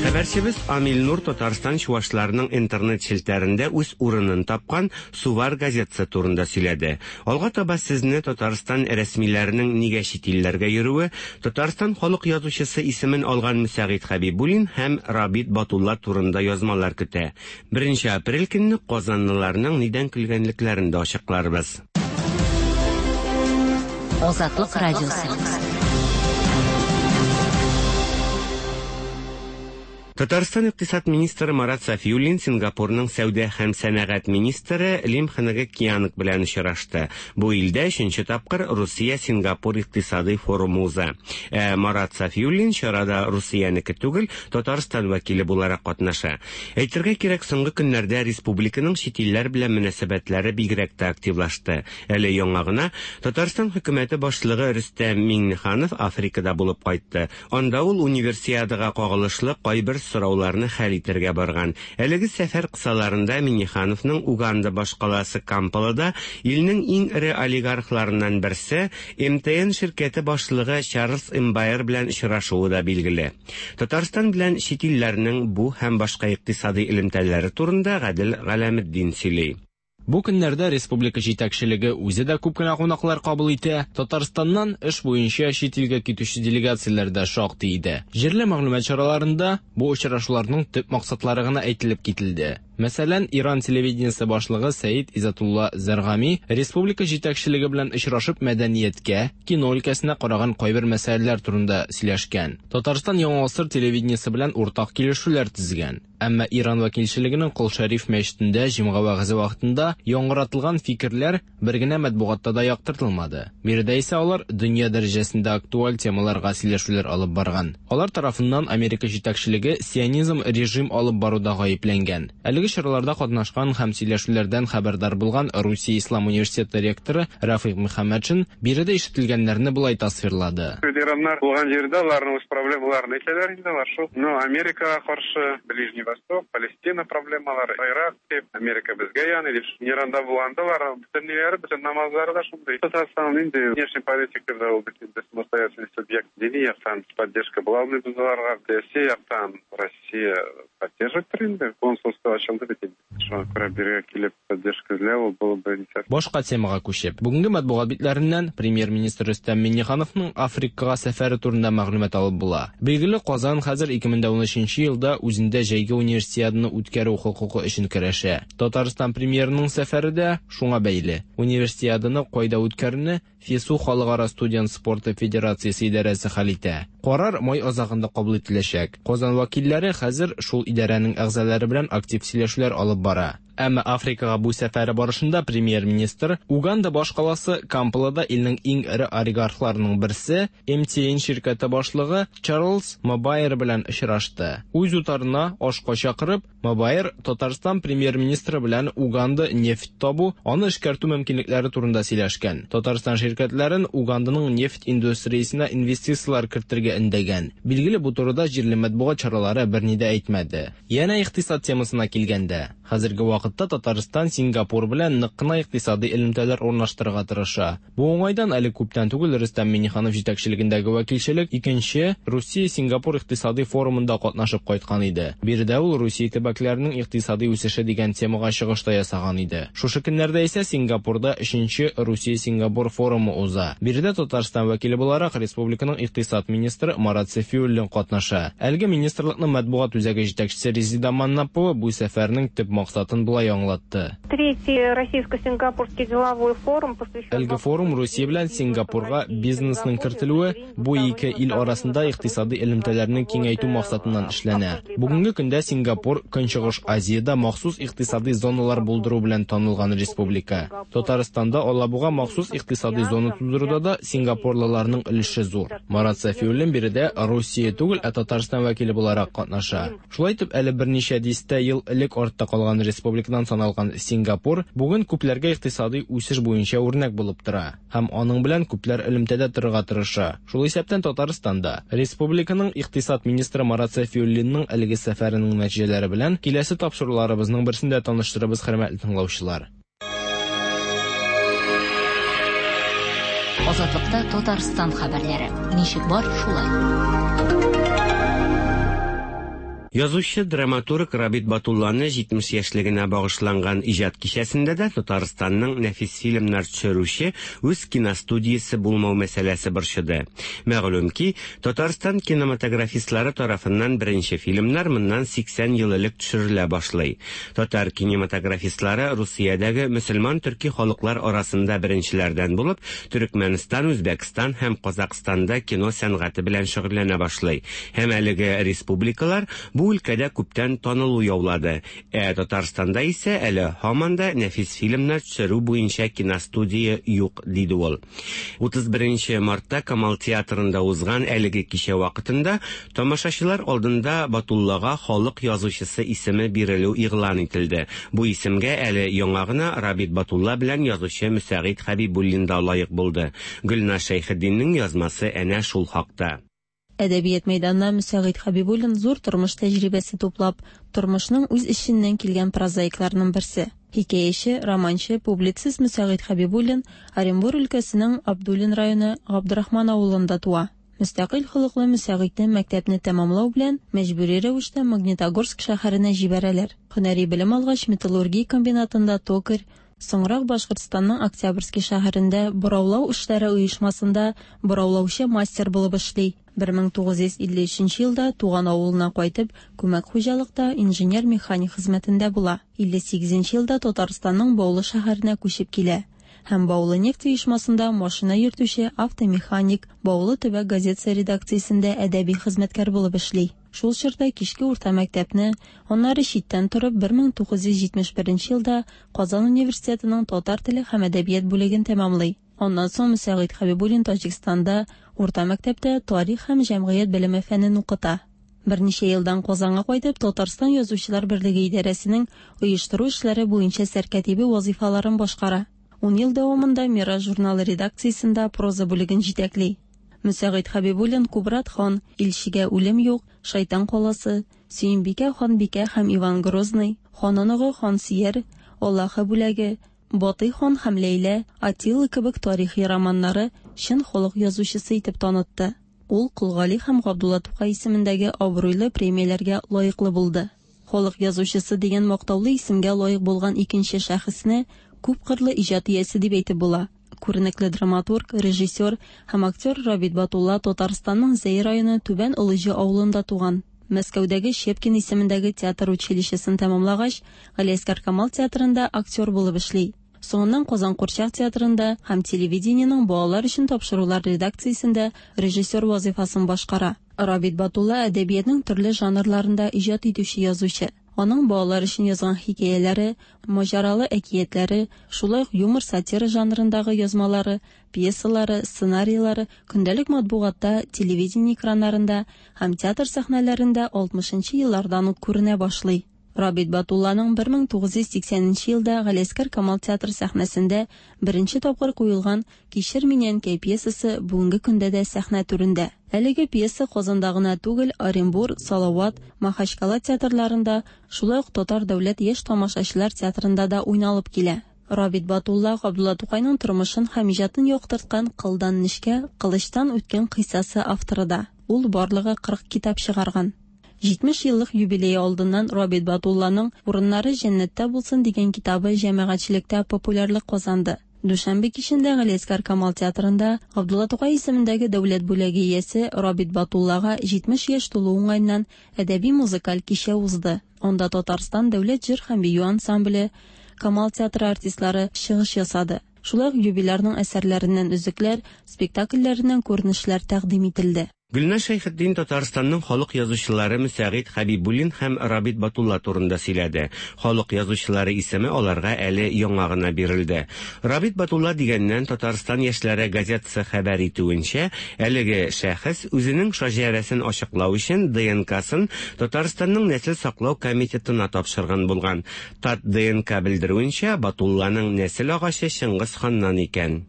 Хәбәрчебез Амил Нур Татарстан чувашларының интернет челтәрендә үз урынын тапкан Сувар газетасы турында сөйләде. Алга таба сезне Татарстан рәсмиләренең нигә чит илләргә йөрүе, Татарстан халык язучысы исемен алган Мөсәгыйть Хәбибуллин һәм Рабит Батулла турында язмалар көтә. 1 апрель көнне казанлыларның нидән көлгәнлекләрен дә ачыкларбыз. Азатлык радиосы. Татарстан икътисад министры Марат Сафиуллин Сингапурның сәүдә һәм сәнәгать министры Лим Хнг Кианг белән очрашты. Бу илдә өченче тапкыр Русия-Сингапур икътисадый форумы уза. Ә Марат Сафиуллин чарада Русиянеке түгел, Татарстан вәкиле буларак катнаша. Әйтергә кирәк, соңгы көннәрдә республиканың чит илләр белән мөнәсәбәтләре бигрәк тә активлашты. Әле яңа гына Татарстан хөкүмәте башлыгы Рөстәм Миңнеханов Африкада булып кайтты. Анда ул универсиадага кагылышлы кайбер сорауларны хәл итәргә барган. Әлеге сәфәр кысаларында Миңнехановның Уганда башкаласы Кампалада илнең иң эре олигархларыннан берсе МТН ширкәте башлыгы Чарльз Эмбайер белән очрашуы да билгеле. Татарстан белән чит илләрнең бу һәм башка икътисади элемтәләре турында Гадел Галәметдин сөйли. Бу көннәрдә республика җитәкчелеге үзе дә күп кенә кунаклар кабул итә. Татарстаннан эш буенча чит илгә китүче делегацияләр дә шактый иде. Җирле мәгълүмат чараларында бу очрашуларның төп максатлары гына әйтелеп кителде. Мәсәлән, Иран телевидениесе башлыгы Сәид Изатулла Зәргами республика җитәкчелеге белән очрашып мәдәнияткә, кино өлкәсенә караган кайбер мәсьәләләр турында сөйләшкән. Татарстан Яңа гасыр телевидениесе белән уртак килешүләр төзегән. Әмма Иран вәкилчелегенең Кол Шәриф мәчетендә җомга вәгазе вакытында яңгыратылган фикерләр бер генә матбугатта да яктыртылмады. Биредә исә алар дөнья дәрәҗәсендә актуаль темаларга сөйләшүләр алып барган. Алар тарафыннан Америка җитәкчелеге сионизм режим алып баруда гаепләнгән. Әлеге Әлеге чараларда катнашкан һәм сөйләшүләрдән хәбәрдар булган Русия Ислам университеты ректоры Рәфыйк Мөхәммәтшин биредә ишетелгәннәрне болай тасвирлады. Ираннар булган җирдә аларның үз проблемаларын әйтәләр инде алар шул. Ну, Америкага каршы, Ближний Восток, Палестина проблемалары, Ирак дип, Америка безгә яный дип. Иранда булганда алар бөтен ниләре, бөтен намазлары да шундый. Татарстан инде внешний политикада ул бит инде самостоятельный субъект. Дини яктан поддержка була алмыйбыз аларга. Сәяси яктан Россия поддерживать инде. Консульство ачылды бит инде. Шуңа күрә бирегә килеп поддержка эзләү ул было бы не совсем. Башка темага күчеп, бүгенге матбугат битләреннән премьер-министр Рөстәм Миңнехановның Африкага сәфәре турында мәгълүмат алып була. Билгеле, Казан хәзер 2013 елда үзендә җәйге универсиаданы үткәрү хокукы өчен көрәшә. Татарстан премьерының сәфәре дә шуңа бәйле. Универсиаданы кайда үткәрүне ФИСУ Халыкара студент спорты федерациясе идарәсе хәл итә. Карар май азагында кабул ителәчәк. Казан вәкилләре хәзер шул идарәнең әгъзалары белән актив сөйләшүләр алып бара. Әмма Африкага бу сәфәре барышында премьер-министр Уганда башкаласы Кампалада илнең иң эре олигархларының берсе MTN ширкәте башлыгы Чарльз Мобайер белән очрашты. Үз утарына ашка чакырып, Мобайер Татарстан премьер-министры белән Уганда нефть табу, аны эшкәртү мөмкинлекләре турында сөйләшкән. Татарстан ширкәтләрен Уганданың нефть индустриясенә инвестицияләр кертергә өндәгән. Билгеле, бу турыда җирле матбугат чаралары берни дә әйтмәде. Янә икътисад темасына килгәндә, хәзерге вакытта Татарстан Сингапур белән нык кына икътисадый элемтәләр урнаштырырга тырыша. Бу уңайдан әле күптән түгел Рөстәм Миңнеханов җитәкчелегендәге вәкилчелек икенче Русия-Сингапур икътисадый форумында катнашып кайткан иде. Биредә ул Русия төбәкләренең икътисадый үсеше дигән темага чыгыш та ясаган иде. Шушы көннәрдә исә Сингапурда өченче Русия-Сингапур форумы уза. Биредә Татарстан вәкиле буларак республиканың икътисад министры Марат Сафиуллин катнаша. Әлеге министрлыкның матбугат үзәге җитәкчесе Резеда Маннапова бу сәфәрнең төп максатын болай аңлатты. Третий российско-сингапурский деловой форум посвящен... Әлеге форум Русия белән Сингапурга бизнесның кертелүе, бу ике ил арасында икътисадый элемтәләрне киңәйтү максатыннан эшләнә. Бүгенге көндә Сингапур Көнчыгыш Азиядә махсус икътисадый зоналар булдыру белән танылган республика. Татарстанда Алабуга махсус икътисадый зона тудыруда да сингапурлыларның өлеше зур. Марат Сафиуллин биредә Русия түгел, ә Татарстан вәкиле буларак катнаша. Шулай итеп, әле берничә дистә ел элек артта калган республикадан саналган Сингапур бүген күпләргә икътисадый үсеш буенча үрнәк булып тора һәм аның белән күпләр элемтәдә торырга тырыша. Шул исәптән Татарстан да. Республиканың икътисад министры Марат Сафиуллинның әлеге сәфәренең нәтиҗәләре белән киләсе тапшыруларыбызның берсендә таныштырырбыз, хөрмәтле тыңлаучылар. Азатлыкта Татарстан хәбәрләре. Ничек бар, шулай. Язучы, драматург Рабит Батулланы 70 яшьлегенә багышланган иҗат кичәсендә дә Татарстанның нәфис фильмнар төшерүче үз киностудиясе булмау мәсьәләсе борчыды. Мәгълүм ки, Татарстан кинематографистлары тарафыннан беренче фильмнар моннан 80 ел элек төшерелә башлый. Татар кинематографистлары Русиядәге мөселман төрки халыклар арасында беренчеләрдән булып, Төрекмәнстан, Үзбәкстан һәм Казакъстанда кино сәнгате белән шөгыльләнә башлый. Һәм әлеге республикалар бу өлкәдә күптән танылу яулады. Ә Татарстанда исә әле һаман да нәфис фильмнар төшерү буенча киностудия юк, диде ул. 31 мартта Камал театрында узган әлеге кичә вакытында тамашачылар алдында Батуллага халык язучысы исеме бирелү игълан ителде. Бу исемгә әле яңа гына Рабит Батулла белән язучы Мөсәгыйть Хәбибуллин да лаек булды. Гөлназ Шәйхетдиннең язмасы әнә шул хакта. Әдәбият мәйданына Мөсәгыйть Хәбибуллин зур тормыш тәҗрибәсе туплап, тормышның үз эченнән килгән прозаикларның берсе. Хикәяче, романчы, публицист Мөсәгыйть Хәбибуллин Оренбур өлкәсенең Абдуллин районы Габдрахман авылында туа. Мөстәкыйль холыклы Мөсәгыйтьне мәктәпне тәмамлау белән мәҗбүри рәвештә Магнитогорск шәһәренә җибәрәләр. Һөнәри белем алгач, металлургия комбинатында токарь, соңрак Башкортстанның Октябрьский шәһәрендә бораулау эшләре оешмасында бораулаучы мастер булып эшли. 1953 елда туган авылына кайтып, күмәк хуҗалыкта инженер-механик хезмәтендә була. 58 елда Татарстанның Баулы шәһәренә күчеп килә һәм Баулы нефть оешмасында машина йөртүче автомеханик, Баулы төбәк газетасы редакциясендә әдәби хезмәткәр булып эшли. Шул чорда кичке урта мәктәпне, аннары читтән торып 1971 елда Казан университетының татар теле һәм әдәбият бүлеген тәмамлый. Аннан соң Мөсәгыйть Хәбибуллин Таҗикстанда урта мәктәптә тарих һәм җәмгыять белеме фәнен укыта. Берничә елдан Казанга кайтып, Татарстан Язучылар берлеге идарәсенең оештыру эшләре буенча сәркатибе вазыйфаларын башкара. Ун ел дәвамында Мирас журналы редакциясендә проза бүлеген җитәкли. Мөсәгыйть Хәбибуллин Кубрат хан, Илчегә үлем юк, Шайтан каласы, Сөембикә ханбикә һәм Иван Грозный, Хан оныгы Хансөяр, Аллаһы бүләге, Батый хан һәм Ләйлә, Атилла кебек тарихи романнары чын халык язучысы итеп танытты. Ул Кол Гали һәм Габдулла Тукай исемендәге абруйлы премияләргә лаеклы булды. Халык язучысы дигән мактаулы исемгә лаек булган икенче шәхесне күпкырлы иҗат иясе дип әйтеп була. Күренекле драматург, режиссер һәм актер Рабит Батулла Татарстанның Зәй районы Түбән Олыҗы авылында туган. Мәскәүдәге Щепкин исемендәге театр училищесын тәмамлагач, Галиәсгар Камал театрында актер булып эшли. Соңыннан Казан курчак театрында һәм телевидениенең балалар өчен тапшырулар редакциясендә режиссер вазыйфасын башкара. Рабит Батулла әдәбиятның төрле жанрларында иҗат итүче язучы. Аның балалар өчен язган хикәяләре, маҗаралы әкиятләре, шулай ук юмор-сатира жанрындагы язмалары, пьесалары, сценарийлары көндәлек матбугатта, телевидение экраннарында һәм театр сәхнәләрендә 60 нчы еллардан ук күренә башлый. Рабит Батулланың 1980 нче елда Галиәсгар Камал театры сәхнәсендә беренче тапкыр куелган Кичер мине, әнкәй пьесасы бүгенге көндә дә сәхнә түрендә. Әлеге пьеса Казанда гына түгел, Оренбур, Салават, Махачкала театрларында, шулай ук Татар дәүләт яшь тамашачылар театрында да уйналып килә. Рабит Батулла Габдулла Тукайның тормышын һәм иҗатын яктырткан Кылдан нечкә, кылычтан үткен кыйссасы авторы да. Ул барлыгы 40 китап чыгарган. 70 еллык юбилее алдыннан Рабит Батулланың Урыннары җәннәттә булсын дигән китабы җәмәгатьчелектә популярлык казанды. Дүшәмбе кичендә Галиәсгар Камал театрында Габдулла Тукай исемендәге дәүләт бүләге иясе Рабит Батуллага 70 яшь тулу уңаеннан әдәби-музыкаль кичә узды. Анда Татарстан дәүләт җыр һәм бию ансамбле, Камал театры артистлары чыгыш ясады. Шулай ук юбилярның әсәрләреннән өзекләр, спектакльләреннән күренешләр тәкъдим ителде. Гөлназ Шәйхетдин Татарстанның халык язучылары Мөсәгыйть Хәбибуллин һәм Рабит Батулла турында сөйләде. Халык язучылары исеме аларга әле яңа гына бирелде. Рабит Батулла дигәннән, Татарстан яшьләре газетасы хәбәр итүенчә, әлеге шәхес үзенең шаҗәрәсен ачыклау өчен ДНКсын Татарстанның нәсел саклау комитетына тапшырган булган. ТатДНК белдерүенчә, Батулланың нәсел агачы Чыңгыз ханнан икән.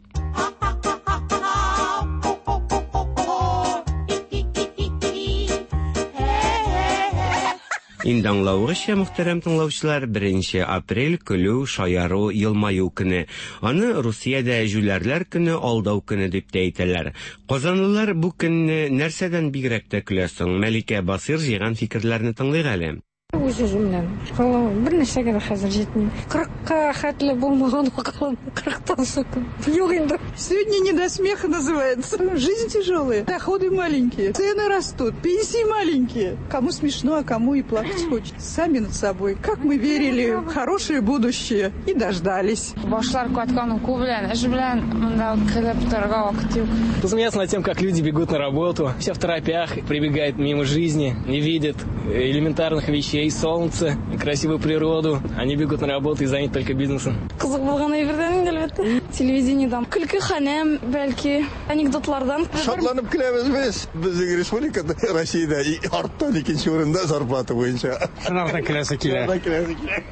Инде аңлавыгызча, мөхтәрәм тыңлаучылар, беренче апрель көлү, шаяру, елмаю көне. Аны Русиядә җүләрләр көне, алдау көне дип тә әйтәләр. Казанлылар бу көнне нәрсәдән бигрәк тә көлә соң? Мәликә Басыйр җыйган фикерләрне тыңлыйк әле. Үз-үземнән. Акылым бер нәрсәгә дә хәзер җитми. Кырыкка хәтле булмаган акылым, кырыктан соң юк инде. Сегодня не до смеха называется. Жизнь тяжелая, доходы маленькие, цены растут, пенсии маленькие. Кому смешно, а кому и плакать хочется. Сами над собой. Как мы верили в хорошее будущее и дождались. Башлар каткан уку белән, эш белән монда көлеп торырга вакыт юк. Посмеяться над тем, как люди бегут на работу, все в торопях, прибегают мимо жизни, не видят элементарных вещей, солнце, красивую природу. Они бегут на работу и заняты только бизнесом. Кызык булган әйбердән инде, әлбәттә. Телевидениедән. Көлке ханәм, бәлки, анекдотлардан. Шатланып көләбез без. Безнең республикада, Россиядә арттан икенче урында зарплата буенча. Шунардан көләсе килә. Шунардан көләсе килә.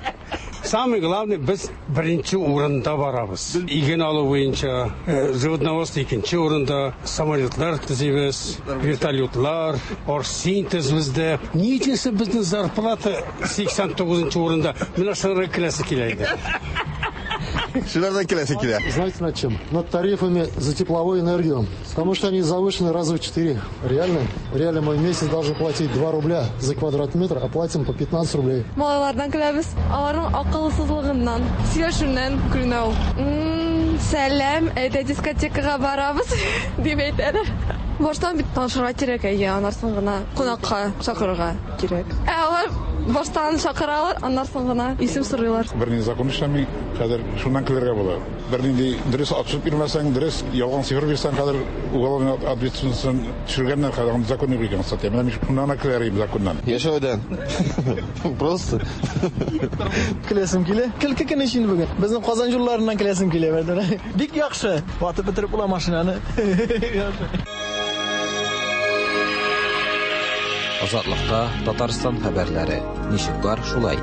Самое главное, без беренче урында барабыз. Иген алу буенча, э, животноводство икенче урында, самолетлар төзибез, вертолетлар, оргсинтез бездә. Ни өчен безнең зарплата 89 урында? Менә шунардан көләсе килә иде. Шунардан көләсе килә. Знаете над чем? Над тарифами за тепловую энергию. Потому что они завышены раза в 4. Реально? Реально мы в месяц должны платить 2 рубля за квадратный метр, а платим по 15 рублей. Малайлардан көләбез. Аларның акылсызлыгыннан, сөйләшүеннән көленә ул. Сәлам, әйдә дискотекага барабыз, дип әйтәләр. Баштан бит танышырга кирәк, әйе, аннан соң гына кунакка чакырырга кирәк. Ә алар баштан чакыралар, аннан соң гына исем сорыйлар. Бернинди закон эшләми, хәзер шуннан көлергә була. Бернинди дөрес отчет бирмәсәң, дөрес ялган цифр бирсәң, хәзер уголовный ответственностьтан төшергәннәр, хәзер андый закон юк икән, кстати. Менә мин шуннан гына көләр идем законнан. Яшәүдән. Просто. Көләсем килә. Көлке көне өчен бүген. Безнең Казан юлларыннан көләсем килә. Бик яхшы. Ватып бетереп була машинаны. Яхшы. Азатлыкта Татарстан хәбәрләре. Ничек бар, шулай.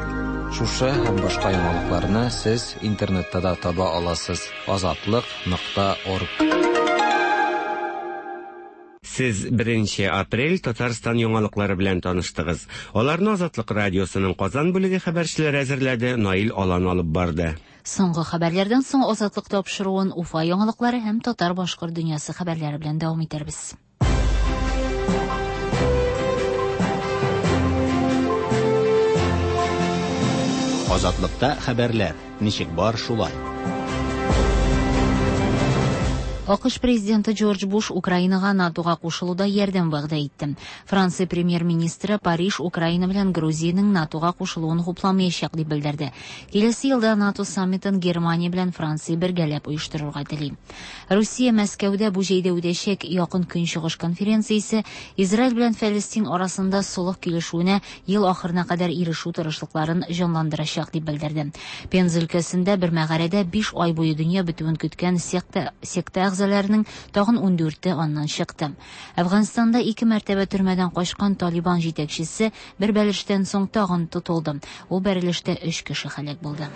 Шушы һәм башка яңалыкларны сез интернетта да таба аласыз. Азатлык.орг. Сез 1 апрель Татарстан яңалыклары белән таныштыгыз. Аларны Азатлык радиосының Казан бүлеге хәбәрчеләре әзерләде, Наил Алан алып барды. Соңгы хәбәрләрдән соң Азатлык тапшыруын Уфа яңалыклары һәм татар-башкорт дөньясы хәбәрләре белән дәвам итәрбез. Азатлыкта хәбәрләр. Ничек бар, шулай. АКШ президенты Джордж Буш Украинага НАТОга кушылуда ярдәм вәгъдә итте. Франция премьер-министры Париж Украина белән Грузиянең НАТОга кушылуын хупламаячак дип белдерде. Киләсе елда НАТО саммитын Германия белән Франция бергәләп оештырырга тели. Русия Мәскәүдә бу җәйдә үтәчәк Якын Көнчыгыш конференциясе Израиль белән Фәлестин арасында солых килешүенә ел ахырына кадәр ирешү тырышлыкларын җанландырачак дип белдерде. Пенза өлкәсендә бер мәгарәдә 5 ай буе дөнья бетүен көткән секта секта әгъзаларының тагын 14-е аннан чыкты. Әфганстанда ике мәртәбә төрмәдән качкан Талибан җитәкчесе бер бәрелештән соң тагын тотылды. Ул бәрелештә 3 кеше һәлак булды.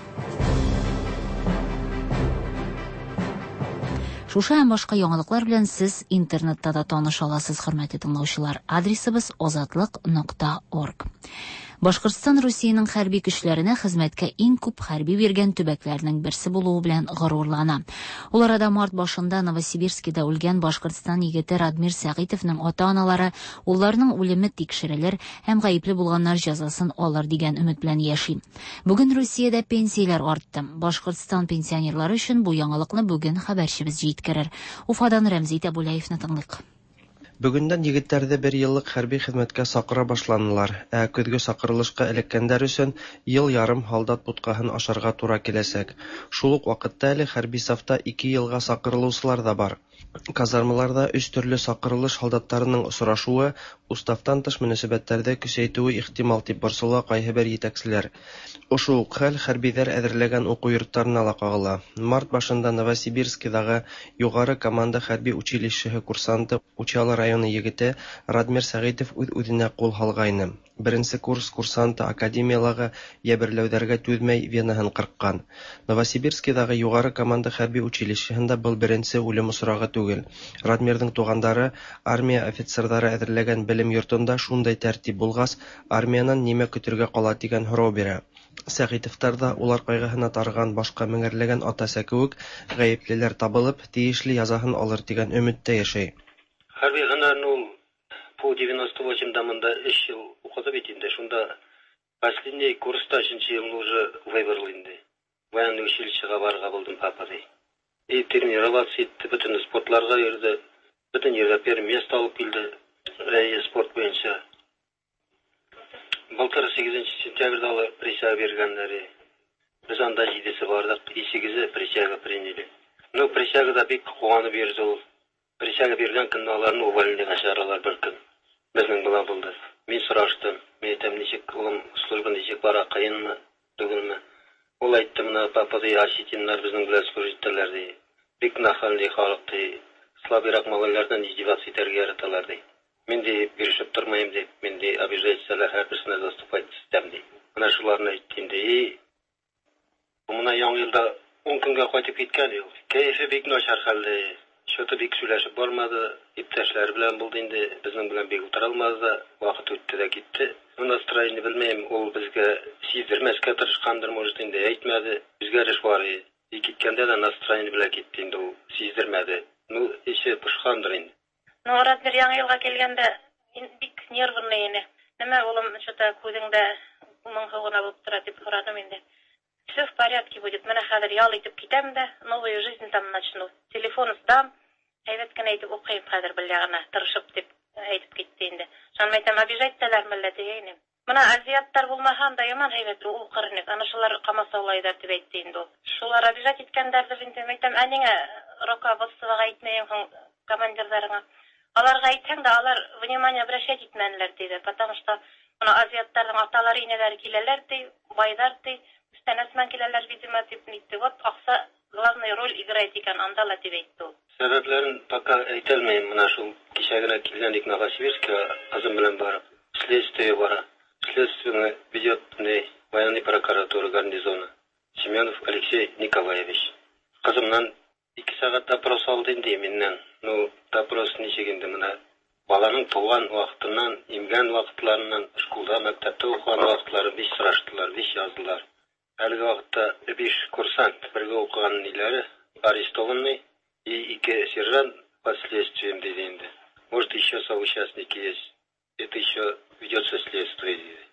Шушы һәм башка яңалыклар белән сез интернетта да таныша аласыз, хөрмәтле тыңлаучылар. Адресыбыз азатлык.орг. Башкортстан Русиянең хәрби көчләренә хезмәткә иң күп хәрби биргән төбәкләрнең берсе булуы белән горурлана. Ул арада март башында Новосибирскида үлгән Башкортстан егете Радмир Сәгыйтовның ата-аналары улларының үлеме тикшерелер һәм гаепле булганнар җәзасын алыр дигән өмет белән яши. Бүген Русиядә пенсияләр артты. Башкортстан пенсионерлары өчен бу яңалыкны бүген хәбәрчебез җиткерер. Уфадан Рәмзи Тәбүләевны тыңлыйк. Бүгендән егетләрҙе бер йыллыҡ хәрби хеҙмәткә саҡыра башланылар, ә көҙгө саҡырылышҡа эләккәндәр өсөн йыл ярым һалдат бутҡаһын ашарға тура киләсәк. Шул уҡ ваҡытта әле хәрби сафта 2 йылға саҡырылыусылар ҙа бар. Казармаларҙа 3 төрлө саҡырылыш һалдаттарының осрашыуы уставтан тыш мөнәсәбәттәрҙе көсәйтеүе ихтимал тип борсола ҡайһы бер етәкселәр. Ошо уҡ хәл хәрбиҙәр әҙерләгән уҡыу йорттарына ла ҡағыла. Март башында Новосибирскиҙағы юғары команда хәрби училищеһы курсанты Учалы районы егете Радмир Сәғитов үҙ-үҙенә ҡул һалғайны. Беренсе курс курсанты академиялағы йәберләүҙәргә түҙмәй венаһын ҡырҡҡан. Новосибирскиҙағы юғары команда хәрби училищеһында был беренсе үлем осрағы түгел. Радмирҙың туғандары армия офицерҙары әҙерләгән белем йортонда шундай тәртип булғас, армиянан нимә көтөргә ҡала тигән һорау бирә. Сәғитовтар ҙа улар ҡайғыһына тарыған башҡа меңәрләгән ата-әсә кеүек ғәйеплеләр табылып, тейешле язаһын алыр тигән өмөттә йәшәй. Хәрби һөнәрен ул по 98-да мында 3 йыл уҡыды бит инде. Шунда последний курста 3-нче йылны уже выбрал инде. Военный училищеға барырға булдым, папа ди. И тренироваться итте, бөтен спортларға йөрҙө, бөтен ерҙә первое место алып килде, спорт буйынса. Былтыр 8 сентябрҙә алар присяга биргәндәре. Беҙ анда 7-се барҙыҡ, и 8-е присяга приняли. Ну, присягада бик ҡыуанып йөрҙө ул. Присяга биргән көнне аларны увольнениеға сығаралар бер көн. Беҙҙең бала булды. Мин сораштым, мин әйтәм, нисек улым, служба нисек бара, ҡыйынмы, түгелме? Ул әйтте, мына папа ди, осетиннар беҙҙең белән служить итәләр ди. Бик нахальный халыҡ ди. Слабыйраҡ малайларҙан издеваться итәргә яраталар ди. Мин ди бирешеп тормайым ди, мин ди обижать итсәләр, һәр берсенә заступать итәм ди. Мына шуларны әйтте инде. И мына яңы йылда 10 көнгә ҡайтып киткән ул. Кәйефе бик начар хәлдә. Что-то бик сөйләшеп бармады, иптәшләре белән булды инде, безнең белән бик утыра алмады да, вакыт үтте дә китте. Ну, настроение белмәйем, ул безгә сиздермәскә тырышкандыр, может, инде әйтмәде. Үзгәреш бар иде. И киткәндә дә настроение белән китте инде ул, сиздермәде. Ну, эше пошкандыр инде. Ну, Радмир яңы йылға килгәндә бик нервный ине. Нимә, улым, что-то күҙеңдә моңһоу ғына булып тора дип һораным инде. Все в порядке будет. Менә хәҙер ял итеп китәм дә, новую жизнь там начну. Телефон сдам, әйбәт кенә итеп уҡыйым хәҙер бер яғына, тырышып дип әйтеп китте инде. Шунан әйтәм, обижать итәләрме әллә тигәйнем. Мына азиаттар булмаһа да яман һәйбәт уҡыр инек. Ана шулар ҡамасаулайҙар тип әйтте инде ул. Шулар обижать иткәндәрҙер инде. Әйтәм, ә ниңә руководствоға әйтмәйең һуң командирҙарыңа? Аларға әйтһәң дә, алар внимание обращать итмәнеләр тиҙәр, потому что мына азиаттарҙың аталары, инәләре киләләр ти, байҙар ти, күстәнәс менән киләләр, видимо, тип нитте. Вот аҡса главный роль играет икән анда ла тип әйтте ул. Сәбәпләрен пока әйтә алмайым. Мына шул кисә генә килгән идек Новосибирскка, ҡыҙым белән барып. Следствие бара. Следствие ведет военный прокуратура гарнизона. Семенов Алексей Николаевич. Кызымнан 2 сәгать допрос алды инде миннән. Ну, допрос ничек инде менә баланың туган вакытыннан, имгән вакытларыннан, школда, мәктәптә укыган вакытларын бик сораштылар, бик яздылар. Әлеге вакытта 5 курсант бергә укыган ниләре арестованный и 2 сержант под следствием диде инде. Может, еще соучастники есть. Это еще ведется следствие диде.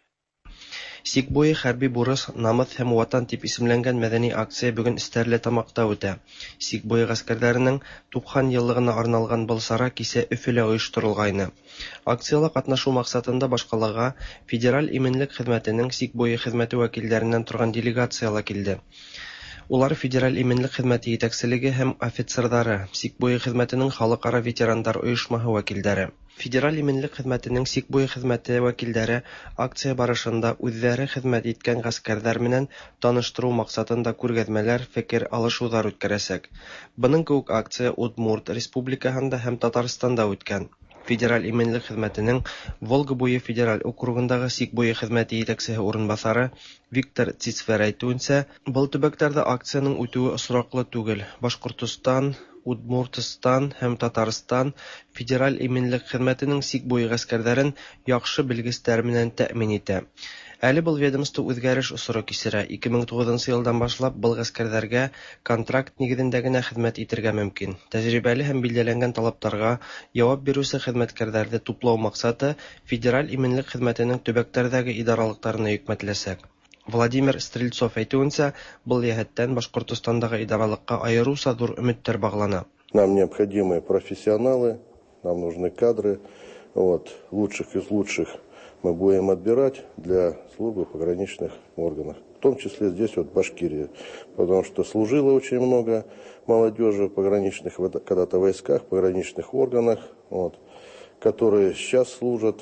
Сик буе хәрби бурыс, намус һәм ватан дип исемләнгән мәдәни акция бүген Стәрлетамакта үтә. Сик буе гаскәрләренең 90 еллыгына арналган был чара кисә Өфөлә оештырылгайны. Акцияла катнашу максатында башкалага Федераль иминлек хезмәтенең сик буе хезмәте вәкилләреннән торган делегацияла килде. Улар Федераль иминлек хезмәте җитәкчелеге һәм офицерлары, сик буе хезмәтенең халыкара ветерандар оешмаһы вәкилләре. Федераль иминлек хезмәтенең сик буе хезмәте вәкилләре акция барышында үзләре хезмәт иткән гаскәрләр менән таныштыру максатында күргәзмәләр, фикер алышулар үткәрәсәк. Бының кеүек акция Удмурт республикаһында һәм Татарстанда үткән. Федераль иминлек хезмәтенең Волга буе федераль округындагы сик буе хезмәте җитәкчесе урынбасары Виктор Цицфер әйтүенчә, был төбәкләрдә акциянең үтүе очраклы түгел. Башкортостан, Удмуртстан һәм Татарстан Федераль иминлек хезмәтенең сик буе гаскәрләрен яхшы белгечләр менән тәэмин итә. Әле был ведомство үзгәреш осоры кичерә. 2009 елдан башлап был гаскәрләргә контракт нигезендә генә хезмәт итергә мөмкин. Тәҗрибәле һәм билгеләнгән талапларга яуап бирүче хезмәткәрләрне туплау максаты Федераль иминлек хезмәтенең төбәкләрдәге идаралыкларына йөкмәтеләчәк. Владимир Стрельцов әйтүенчә, был йәһәттән Башкортостандагы идаралыкка аеруча зур өметтәр баглана. Нам необходимы профессионалы, нам нужны кадры, вот, лучших из лучших мы будем отбирать для службы в пограничных органах, в том числе здесь вот в Башкирии, потому что служило очень много молодежи в пограничных, когда-то войсках, пограничных органах, вот, которые сейчас служат.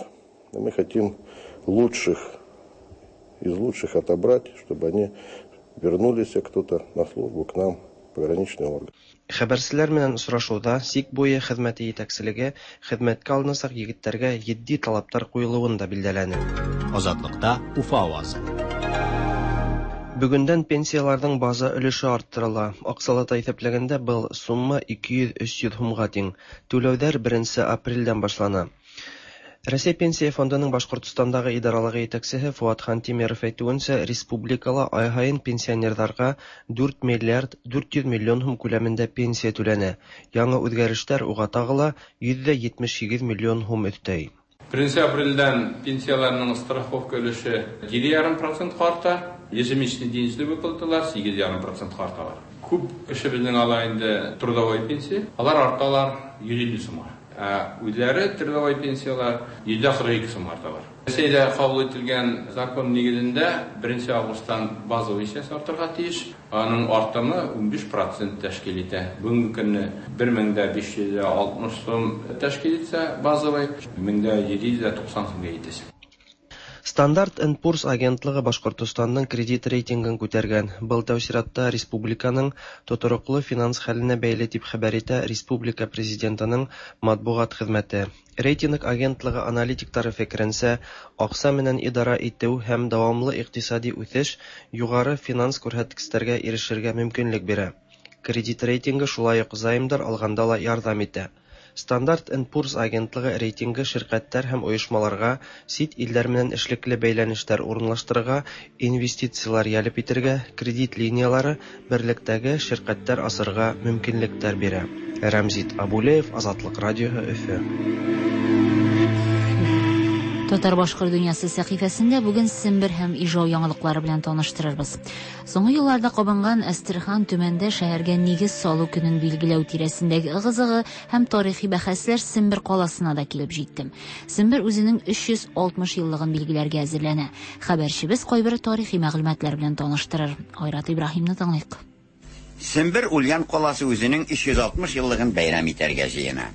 Мы хотим лучших из лучших отобрать, чтобы они вернулись кто-то на службу к нам, в пограничный орган. Хәбәрчеләр менән очрашуда сик буе хезмәте җитәкчелеге хезмәткә алынасак егетләргә җитди талаплар куелуын да билгеләне. Азатлыкта Уфа авазы. Бүгендән пенсияләрнең база өлеше арттырыла. Акчалата исәпләгәндә был сумма 200-300 һумга тиң. Түләүләр 1 апрельдән башлана. Россия Пенсия фондының Башкортостандагы идаралыгы җитәкчесе Фуат Хантимиров әйтүенчә, республикала ай һаен пенсионерларга 4 миллиард 400 миллион һум күләмендә пенсия түләнә. Яңа үзгәрешләр уга тагы ла 178 миллион һум өстәй. 1 апрельдән пенсияләрнең страховка өлеше 7,5% арта, ежемесячный денежный выплаталар 8,5% арталар. Күп кеше безнең ала инде трудовой пенсия, алар арталар 150 сумга. Үзләре трудовой пенсиялар 142 сум арталар. Рәсәйдә кабул ителгән закон нигезендә 1 августтан базовый пенсия артырга тиеш. Аның артымы 15% тәшкил итә. Бүгенге көнне 1560 сум тәшкил итсә базовый, 1790 сумга җитәчәк. Стандарт энд Пурс агентлыгы Башкортостанның кредит рейтингын күтәргән. Был тәү чиратта республиканың тотрыклы финанс хәленә бәйле дип хәбәр итә республика президентының матбугат хезмәте. Рейтинг агентлыгы аналитиклары фикеренчә, акча менән идара итү һәм дәвамлы икътисади үсеш югары финанс күрсәткечләргә ирешергә мөмкинлек бирә. Кредит рейтингы шулай ук займдар алганда ла ярдәм итә. Стандарт энд Пурс агентлыгы рейтингы ширкәтләр һәм оешмаларга чит илләр менән эшлекле бәйләнешләр урынлаштырырга, инвестицияләр җәлеп итәргә, кредит линиялары берлектәге ширкәтләр асырга мөмкинлекләр бирә. Рәмзит Абулеев, Азатлык радиоһы, Өфе. Татар-башкорт дөньясы сәхифәсендә бүген Сембер һәм Ижау яңалыклары белән таныштырырбыз. Соңгы елларда кабынган Әстерхан Төмәндә шәһәргә нигез салу көнен билгеләү тирәсендәге ыгы-зыгы һәм тарихи бәхәсләр Сембер каласына да килеп җитте. Сембер үзенең 360 еллыгын билгеләргә әзерләнә. Хәбәрчебез кайбер тарихи мәгълүматлар белән таныштырыр. Айрат Ибраһимны тыңлыйк. Сембер Ульян каласы үзенең 360 еллыгын бәйрәм итәргә җыена.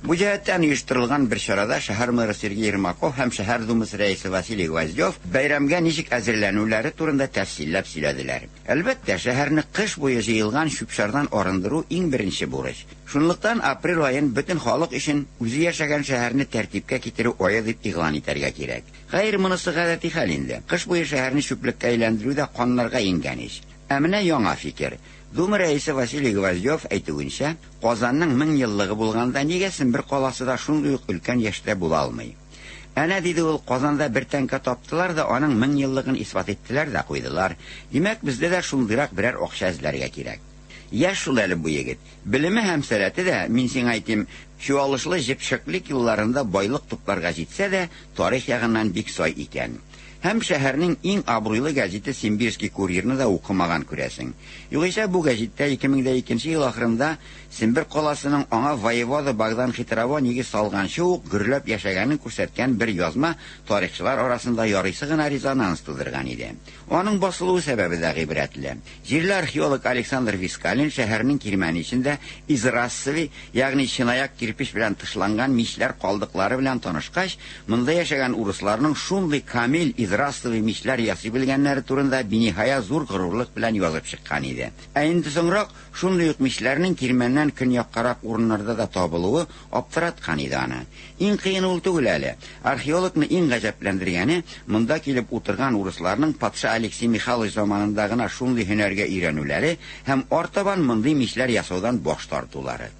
Бу җәһәттән оештырылган бер чарада шәһәр мэры Сергей Ермаков һәм шәһәр думасы рәисе Василий Гвоздев бәйрәмгә ничек әзерләнүләре турында тәфсилләп сөйләделәр. Әлбәттә, шәһәрне кыш буе җыелган чүп-чардан арындыру иң беренче бурыч. Шунлыктан апрель аен бөтен халык өчен үзе яшәгән шәһәрне тәртипкә китерү ае дип игълан итәргә кирәк. Хәер, монысы гадәти хәл инде. Кыш буе шәһәрне чүплеккә әйләндерү дә каннарга иңгән ич. Ә менә яңа фикер. Дума рәисе Василий Гвоздев әйтүенчә, Казанның 1000 еллыгы булганда нигә Сембер каласы да шундый ук өлкән яшьтә була алмый? Әнә, диде ул, Казанда бер тәңкә таптылар да аның 1000 еллыгын исбат иттеләр дә куйдылар. Димәк, бездә дә шундыйрак берәр акча эзләргә кирәк. Яшь шул әле бу егет. Белеме һәм сәләте дә, мин сиңа әйтим, чуалышлы җепшеклек елларында байлык тупларга җитсә дә, тарих ягыннан бик сай икән. Һәм шәһәрнең иң абруйлы гәзите Симбирский курьерны да укымаган, күрәсең. Югыйсә бу гәзиттә 2002 ел ахырында Сембер каласының аңа воевода Богдан Хитрово нигез салганчы ук гөрләп яшәгәнен күрсәткән бер язма тарихчылар арасында ярыйсы гына резонанс тудырган иде. Аның басылуы сәбәбе дә гыйбрәтле. Җирле археолог Александр Вискалин шәһәрнең кирмәне эчендә изразцевый, ягъни чынаяк кирпеч белән тышланган мичләр калдыклары белән танышкач, монда яшәгән урысларның шундый камил изразцевый мичләр ясый белгәннәре турында биниһая зур горурлык белән язып чыккан иде. Ә инде соңрак шундый ук мичләрнең кирмәннән көньяккарак урыннарда да табылуы аптыраткан иде аны. Иң кыены ул түгел әле. Археологны иң гаҗәпләндергәне монда килеп утырган урысларның патша Алексей Михайлович заманында гына шундый һөнәргә өйрәнүләре һәм артабан мондый мичләр ясаудан баш тартулары.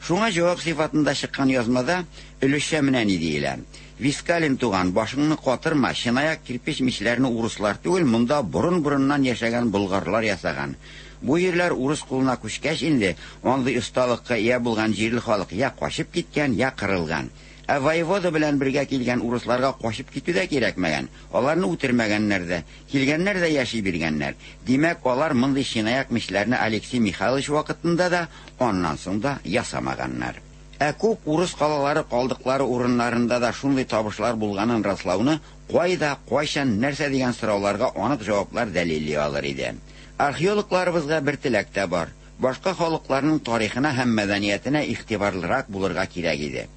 Шуңа җавап сыйфатында чыккан язмада өлешчә менә ни диелә. Вискалин туган, башыңны катырма, чынаяк кирпеч мичләрне урыслар түгел, монда борын-борыннан яшәгән болгарлар ясаган. Бу җирләр урыс кулына күчкәч инде, андый осталыкка ия булган җирле халык я качып киткән, я кырылган. Ә воевода белән бергә килгән урысларга качып китү дә кирәкмәгән. Аларны үтермәгәннәр дә, килгәннәр дә яши биргәннәр. Димәк, алар мондый чынаяк мичләрне Алексей Михайлович вакытында да, аннан соң да ясамаганнар. Ә күп урыс калалары калдыклары урыннарында да шундый табышлар булганын раслауны кайда, кайчан, нәрсә дигән сорауларга анык җаваплар дәлилли алыр иде. Археологларыбызга бер теләк тә бар. Башка халыкларның тарихына һәм мәдәниятенә игътибарлырак булырга кирәк иде.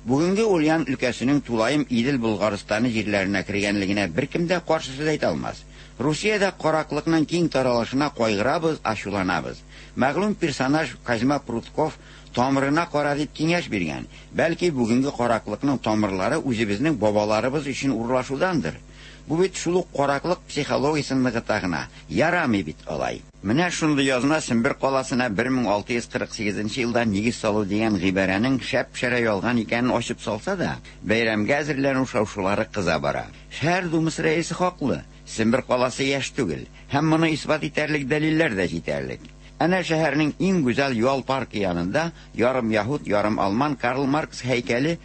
Бүгенге Ульян өлкәсенең тулаем Идел Болгарстаны җирләренә кергәнлегенә беркем дә каршы сүз әйтә алмас. Русиядә караклыкның киң таралышына кайгырабыз, ачуланабыз. Мәгълүм персонаж Козьма Прутков тамырына кара дип киңәш биргән. Бәлки бүгенге караклыкның тамырлары үзебезнең бабаларыбыз өчен урлашудандыр. Бу бит шул ук караклык психологиясен ныгыта гына. Ярамый бит алай. Менә шундый язма Сембер каласына 1648 елда нигез салу дигән гыйбарәнең шәп-шәрә ялган икәнен ачып салса да, бәйрәмгә әзерләнү шау-шулары кыза бара. Шәһәр думасы рәисе хаклы, Сембер каласы яшь түгел, һәм моны исбат итәрлек дәлилләр дә җитәрлек. Әнә шәһәрнең иң гүзәл ял паркы янында ярым яһүд, ярым алман Карл Маркс һәйкәле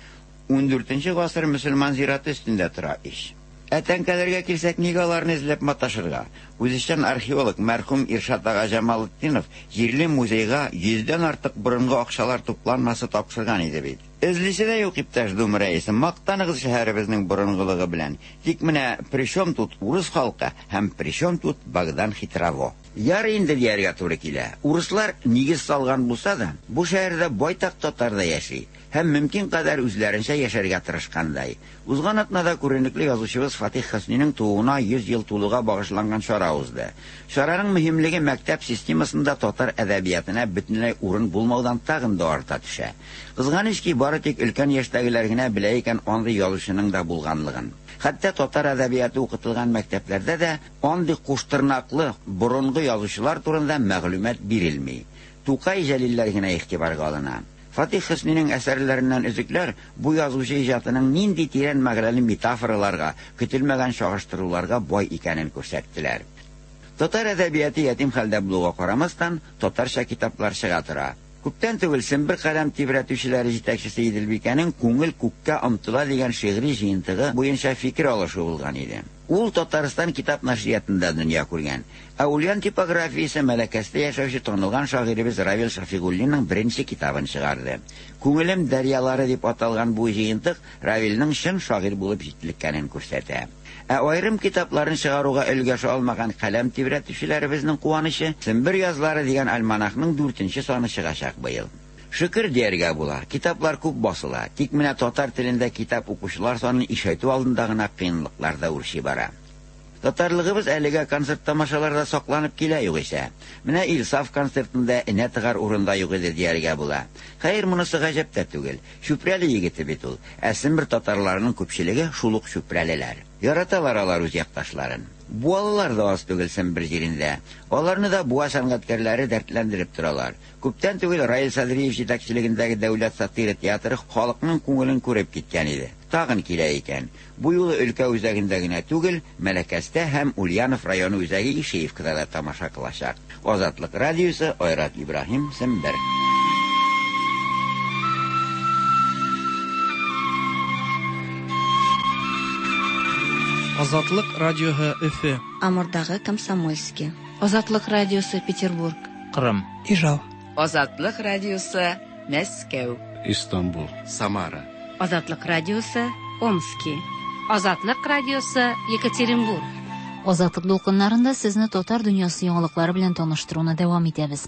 14 гасыр мөселман зираты өстендә тора ич. Ә тәңкәләргә килсәк, нигә аларны эзләп маташырга? Үзешчән археолог мәрхүм Иршат ага Җамалетдинов җирле музейга йөздән артык борынгы акчалар тупланмасы тапшырган иде бит. Эзлисе дә юк, иптәш Дума рәисе, мактаныгыз шәһәребезнең борынгылыгы белән. Тик менә причем тут урыс халкы һәм причем тут Богдан Хитрово? Ярый инде дияргә туры килә. Урыслар нигез салган булса да, бу шәһәрдә байтак татар да яши һәм мөмкин кадәр үзләренчә яшәргә тырышкандай. Узган атнада күренекле язучыбыз Фатих Хөсниның тууына 100 ел тулуга багышланган чара узды. Чараның мөһимлеге мәктәп системасында татар әдәбиятына бөтенләй урын булмаудан тагын да арта төшә. Кызганыч ки, бары тик өлкән яшьтәгеләр генә белә икән андый язучының да булганлыгын. Хәтта татар әдәбияты укытылган мәктәпләрдә дә андый куштырнаклы борынгы язучылар турында мәгълүмат бирелми. Тукай, Җәлилләр генә игътибарга алына. Фатих Хөсниның әсәрләреннән өзекләр бу язучы иҗатының нинди тирән мәгънәле метафораларга, көтелмәгән чагыштыруларга бай икәнен күрсәттеләр. Татар әдәбияты ятим хәлдә булуга карамастан, татарча китаплар чыга тора. Күптән түгел Сембер каләм тибрәтүчеләре җитәкчесе Иделбикәнең Күңел күккә омтыла дигән шигъри җыентыгы буенча фикер алышу булган иде. Ул Татарстан китап нәшриятында дөнья күргән. Ә Ульян типографиясе Мәләкәстә яшәүче танылган шагыйребез Равил Шафигуллинның беренче китабын чыгарды. Күңелем дәрьялары дип аталган бу җыентык Равилнең чын шагыйрь булып җитлеккәнен күрсәтә. Ә аерым китапларын чыгаруга өлгәшә алмаган каләм тибрәтүчеләребезнең куанычы Сембер язлары дигән альманахның 4 саны чыгачак быел. Шөкер дияргә була, китаплар күп басыла, тик менә татар телендә китап укучылар санын ишәйтү алдында гына кыенлыклар да үрчи бара. Татарлыгыбыз әлегә концерт-тамашаларда сакланып килә югыйсә. Менә ИлСаф концертында энә тыгар урын да юк иде дияргә була. Хәер, монысы гаҗәп тә түгел. Чүпрәле егете бит ул. Ә Сембер татарларының күпчелеге шул ук чүпрәлеләр. Яраталар алар үз якташларын. Буалылар да аз түгел Сембер җирендә. Аларны да Буа сәнгатькәрләре дәртләндереп торалар. Күптән түгел Раил Садриев җитәкчелегендәге Дәүләт сатира театры халыкның күңелен күреп киткән иде. Тагын килә икән. Бу юлы өлкә үзәгендә генә түгел, Мәләкәстә һәм Ульянов районы үзәге Ишеевкада да тамаша кылачак. Азатлык радиосы, Айрат Ибраһим, Сембер. Азатлык радиоһы Өфе. Амурдагы Комсомольски. Азатлык радиосы Петербург. Кырым. Ижау. Азатлык радиосы Мәскәү. Истанбул. Самара. Азатлык радиосы Омски. Азатлык радиосы Екатеринбург. Азатлык дулкыннарында сезне татар дөньясы яңалыклары белән таныштыруны дәвам итәбез.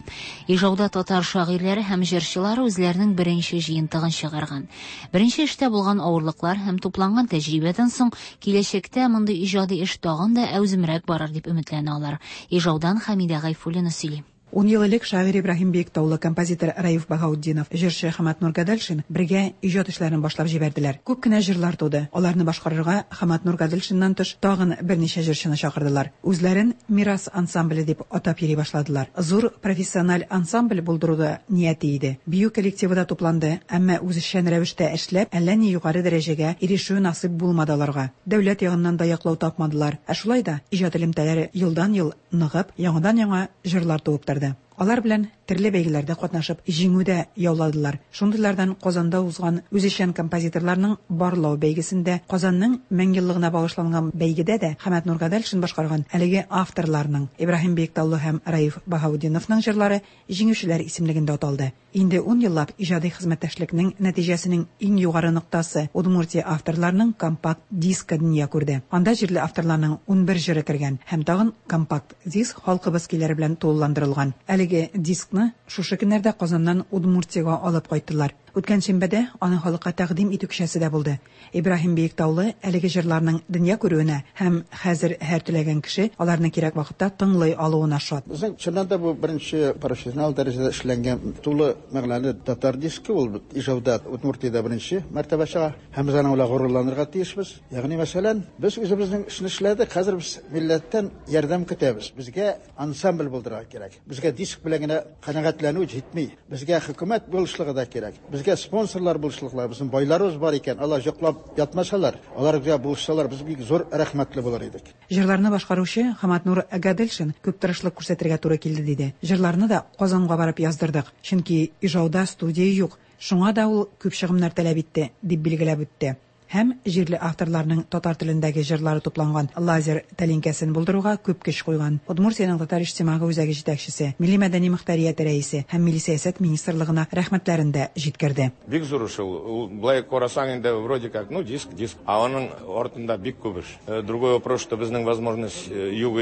Ижауда татар шагыйрьләре һәм җырчылары үзләренең беренче җыентыгын чыгарган. Беренче эштә булган авырлыклар һәм тупланган тәҗрибәдән соң киләчәктә мондый иҗади эш тагын да әүземрәк барыр дип өметләнә алар. Ижаудан Хәмидә Гайфуллина сөйли. Ун ел элек шагыйрь Ибраһим Биектаулы, композитор Раиф Баһаутдинов, җырчы Хаматнур Гаделшин бергә иҗат эшләрен башлап җибәрделәр. Күп кенә җырлар туды. Аларны башкарырга Хаматнур Гаделшиннан тыш тагын берничә җырчыны чакырдылар. Үзләрен Мирас ансамбле дип атап йөри башладылар. Зур профессиональ ансамбль булдыру да нияте иде. Бию коллективы да тупланды, әмма үзешчән рәвештә эшләп, әллә ни югары дәрәҗәгә ирешү насыйп булмады аларга. Дәүләт ягыннан да яклау тапмадылар. Ә шулай да иҗат элемтәләре елдан-ел ныгып, яңадан-яңа җырлар туып торды. Алар белән төрле бәйгеләрдә катнашып, җиңү дә яуладылар. Шундыйлардан Казанда узган үзешчән композиторларның Барлау бәйгесендә, Казанның 1000 еллыгына багышланган бәйгедә дә Хәмәтнур Гаделшин башкарган әлеге авторларның, Ибраһим Биектаулы һәм Раиф Баһаутдиновның җырлары җиңүчеләр исемлегендә аталды. Инде ун еллап иҗади хезмәттәшлекнең нәтиҗәсенең иң югары ноктасы, Удмуртия авторларының компакт дискы дөнья күрде. Анда җирле авторларның 11 җыры кергән һәм тагын компакт диск халкыбыз көйләре белән тулыландырылган. Әлеге дискны шушы көннәрдә Казаннан Удмуртиягә алып кайттылар. Үткән шимбәдә аны халыкка тәкъдим итү кичәсе дә булды. Ибраһим Биектаулы әлеге җырларның дөнья күрүенә һәм хәзер һәр теләгән кеше аларны кирәк вакытта тыңлый алуына шат. Безнең чыннан да бу беренче профессионал дәрәҗәдә эшләнгән тулы мәгънәле татар дискы ул Ижауда, Удмуртиядә беренче мәртәбә чыга. Һәм без аның белән горурланырга тиешбез. Ягъни мәсәлән, без үзебезнең эшне эшләдек, хәзер без милләттән ярдәм көтәбез. Безгә ансамбль булдырырга кирәк. Безгә диск белән генә канәгатьләнү җитми. Безгә хөкүмәт булышлыгы да кирәк. Безгә спонсорлар булышлыклар, безнең байларыбыз бар икән, алар йоклап ятмасалар, алар безгә булышсалар, без бик зур рәхмәтле булыр идек. Җырларны башкаручы Хаматнур Гаделшин күп тырышлык күрсәтергә туры килде, диде. Җырларны да Казанга барып яздырдык, чөнки Ижауда студия юк, шуңа да ул күп чыгымнар таләп итте, дип билгеләп үтте. Һәм җирле авторларның татар телендәге җырлары тупланган лазер тәлинкәсен булдыруга күп көч куйган Удмуртиянең Татар иҗтимагый үзәге җитәкчесе, Милли мәдәни мохтарияте рәисе һәм Милли сәясәт министрлыгына рәхмәтләрен дә җиткерде. Бик зур эш ул. Ул болай карасаң инде вроде как, ну диск, диск. Ә аның артында бик күп эш. Другой вопрос, что безнең возможность юк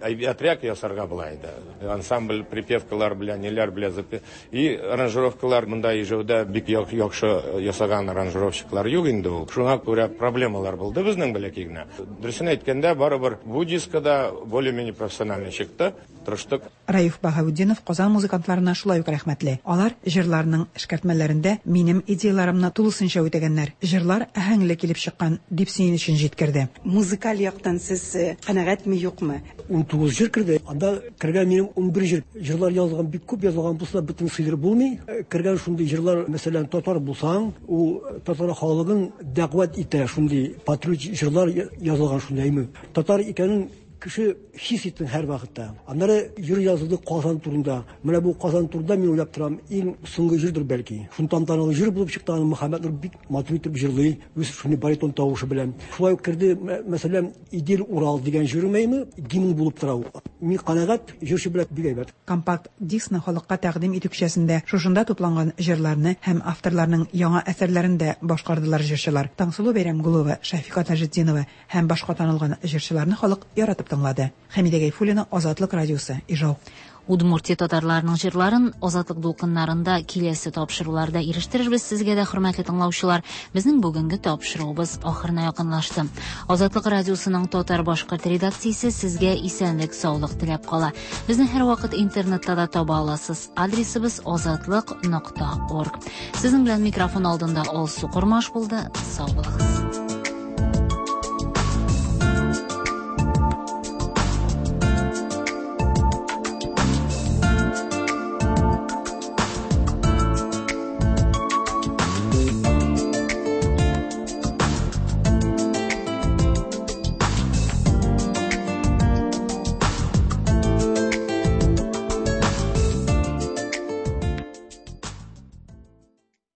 әйбәтрәк ясарга була инде. Ансамбль припевкалар белән, ниләр белән и аранжировкалар монда Ижауда бик яхшы ясаган аранжировщиклар юк инде ул. Шуңа күрә проблемалар булды безнең бәләкәй генә. Дөресен әйткәндә, барыбер бу дискада более-менее профессиональный чыкты. Тырыштык. Раиф Баһаутдинов Казан музыкантларына шулай ук рәхмәтле. Алар җырларның эшкәртмәләрендә минем идеяларымны тулысынча үтәгәннәр. Җырлар әһәңле килеп чыккан, дип сөенечен җиткерде. Музыкаль яктан сез канәгатьме, юкмы? 19 җыр керде. Анда кергән минем 11 җыр. Җырлар язылган, бик күп язылган булса, бөтен сыйдырып булмый. Кергән шундый җырлар, мәсәлән, татар булсаң, ул татар халыгын дәгъват итә, шундый патриот җырлар язылган шундый әйме. Татар икәнен кеше хис итсен һәр вакытта. Аннары җыр язылды Казан турында. Менә бу Казан турында мин уйлап торам, иң соңгы җырдыр бәлки. Шун тантаналы җыр булып чыкты, аны Мөхәммәт Нур бик матур итеп җырлый, үз шундый баритон тавышы белән. Шулай ук керде, мәсәлән, Идел Урал дигән җырым әйме, гимн булып тора ул. Мин канәгать, җырчы белән бик әйбәт. Компакт дискны халыкка тәкъдим итү кичәсендә шушында тупланган җырларны һәм авторларның яңа әсәрләрен дә башкардылар җырчылар. Таңсылу Бәйрәмгулова, Шәфика Таҗетдинова һәм башка танылган җырчыларны халык яратып тыңлады. Хәмидә Гайфуллина, Азатлык радиосы, Ижау. Удмуртия татарларының җырларын Азатлык дулкыннарында киләсе тапшыруларда ирештерербез сезгә дә, хөрмәтле тыңлаучылар. Безнең бүгенге тапшыруыбыз ахырына якынлашты. Азатлык радиосының татар-башкорт редакциясе сезгә исәнлек, саулык теләп кала. Безне һәрвакыт интернетта да таба аласыз. Адресыбыз азатлык нокта орг. Сезнең белән микрофон алдында Алсу Кормаш булды. Сау булыгыз.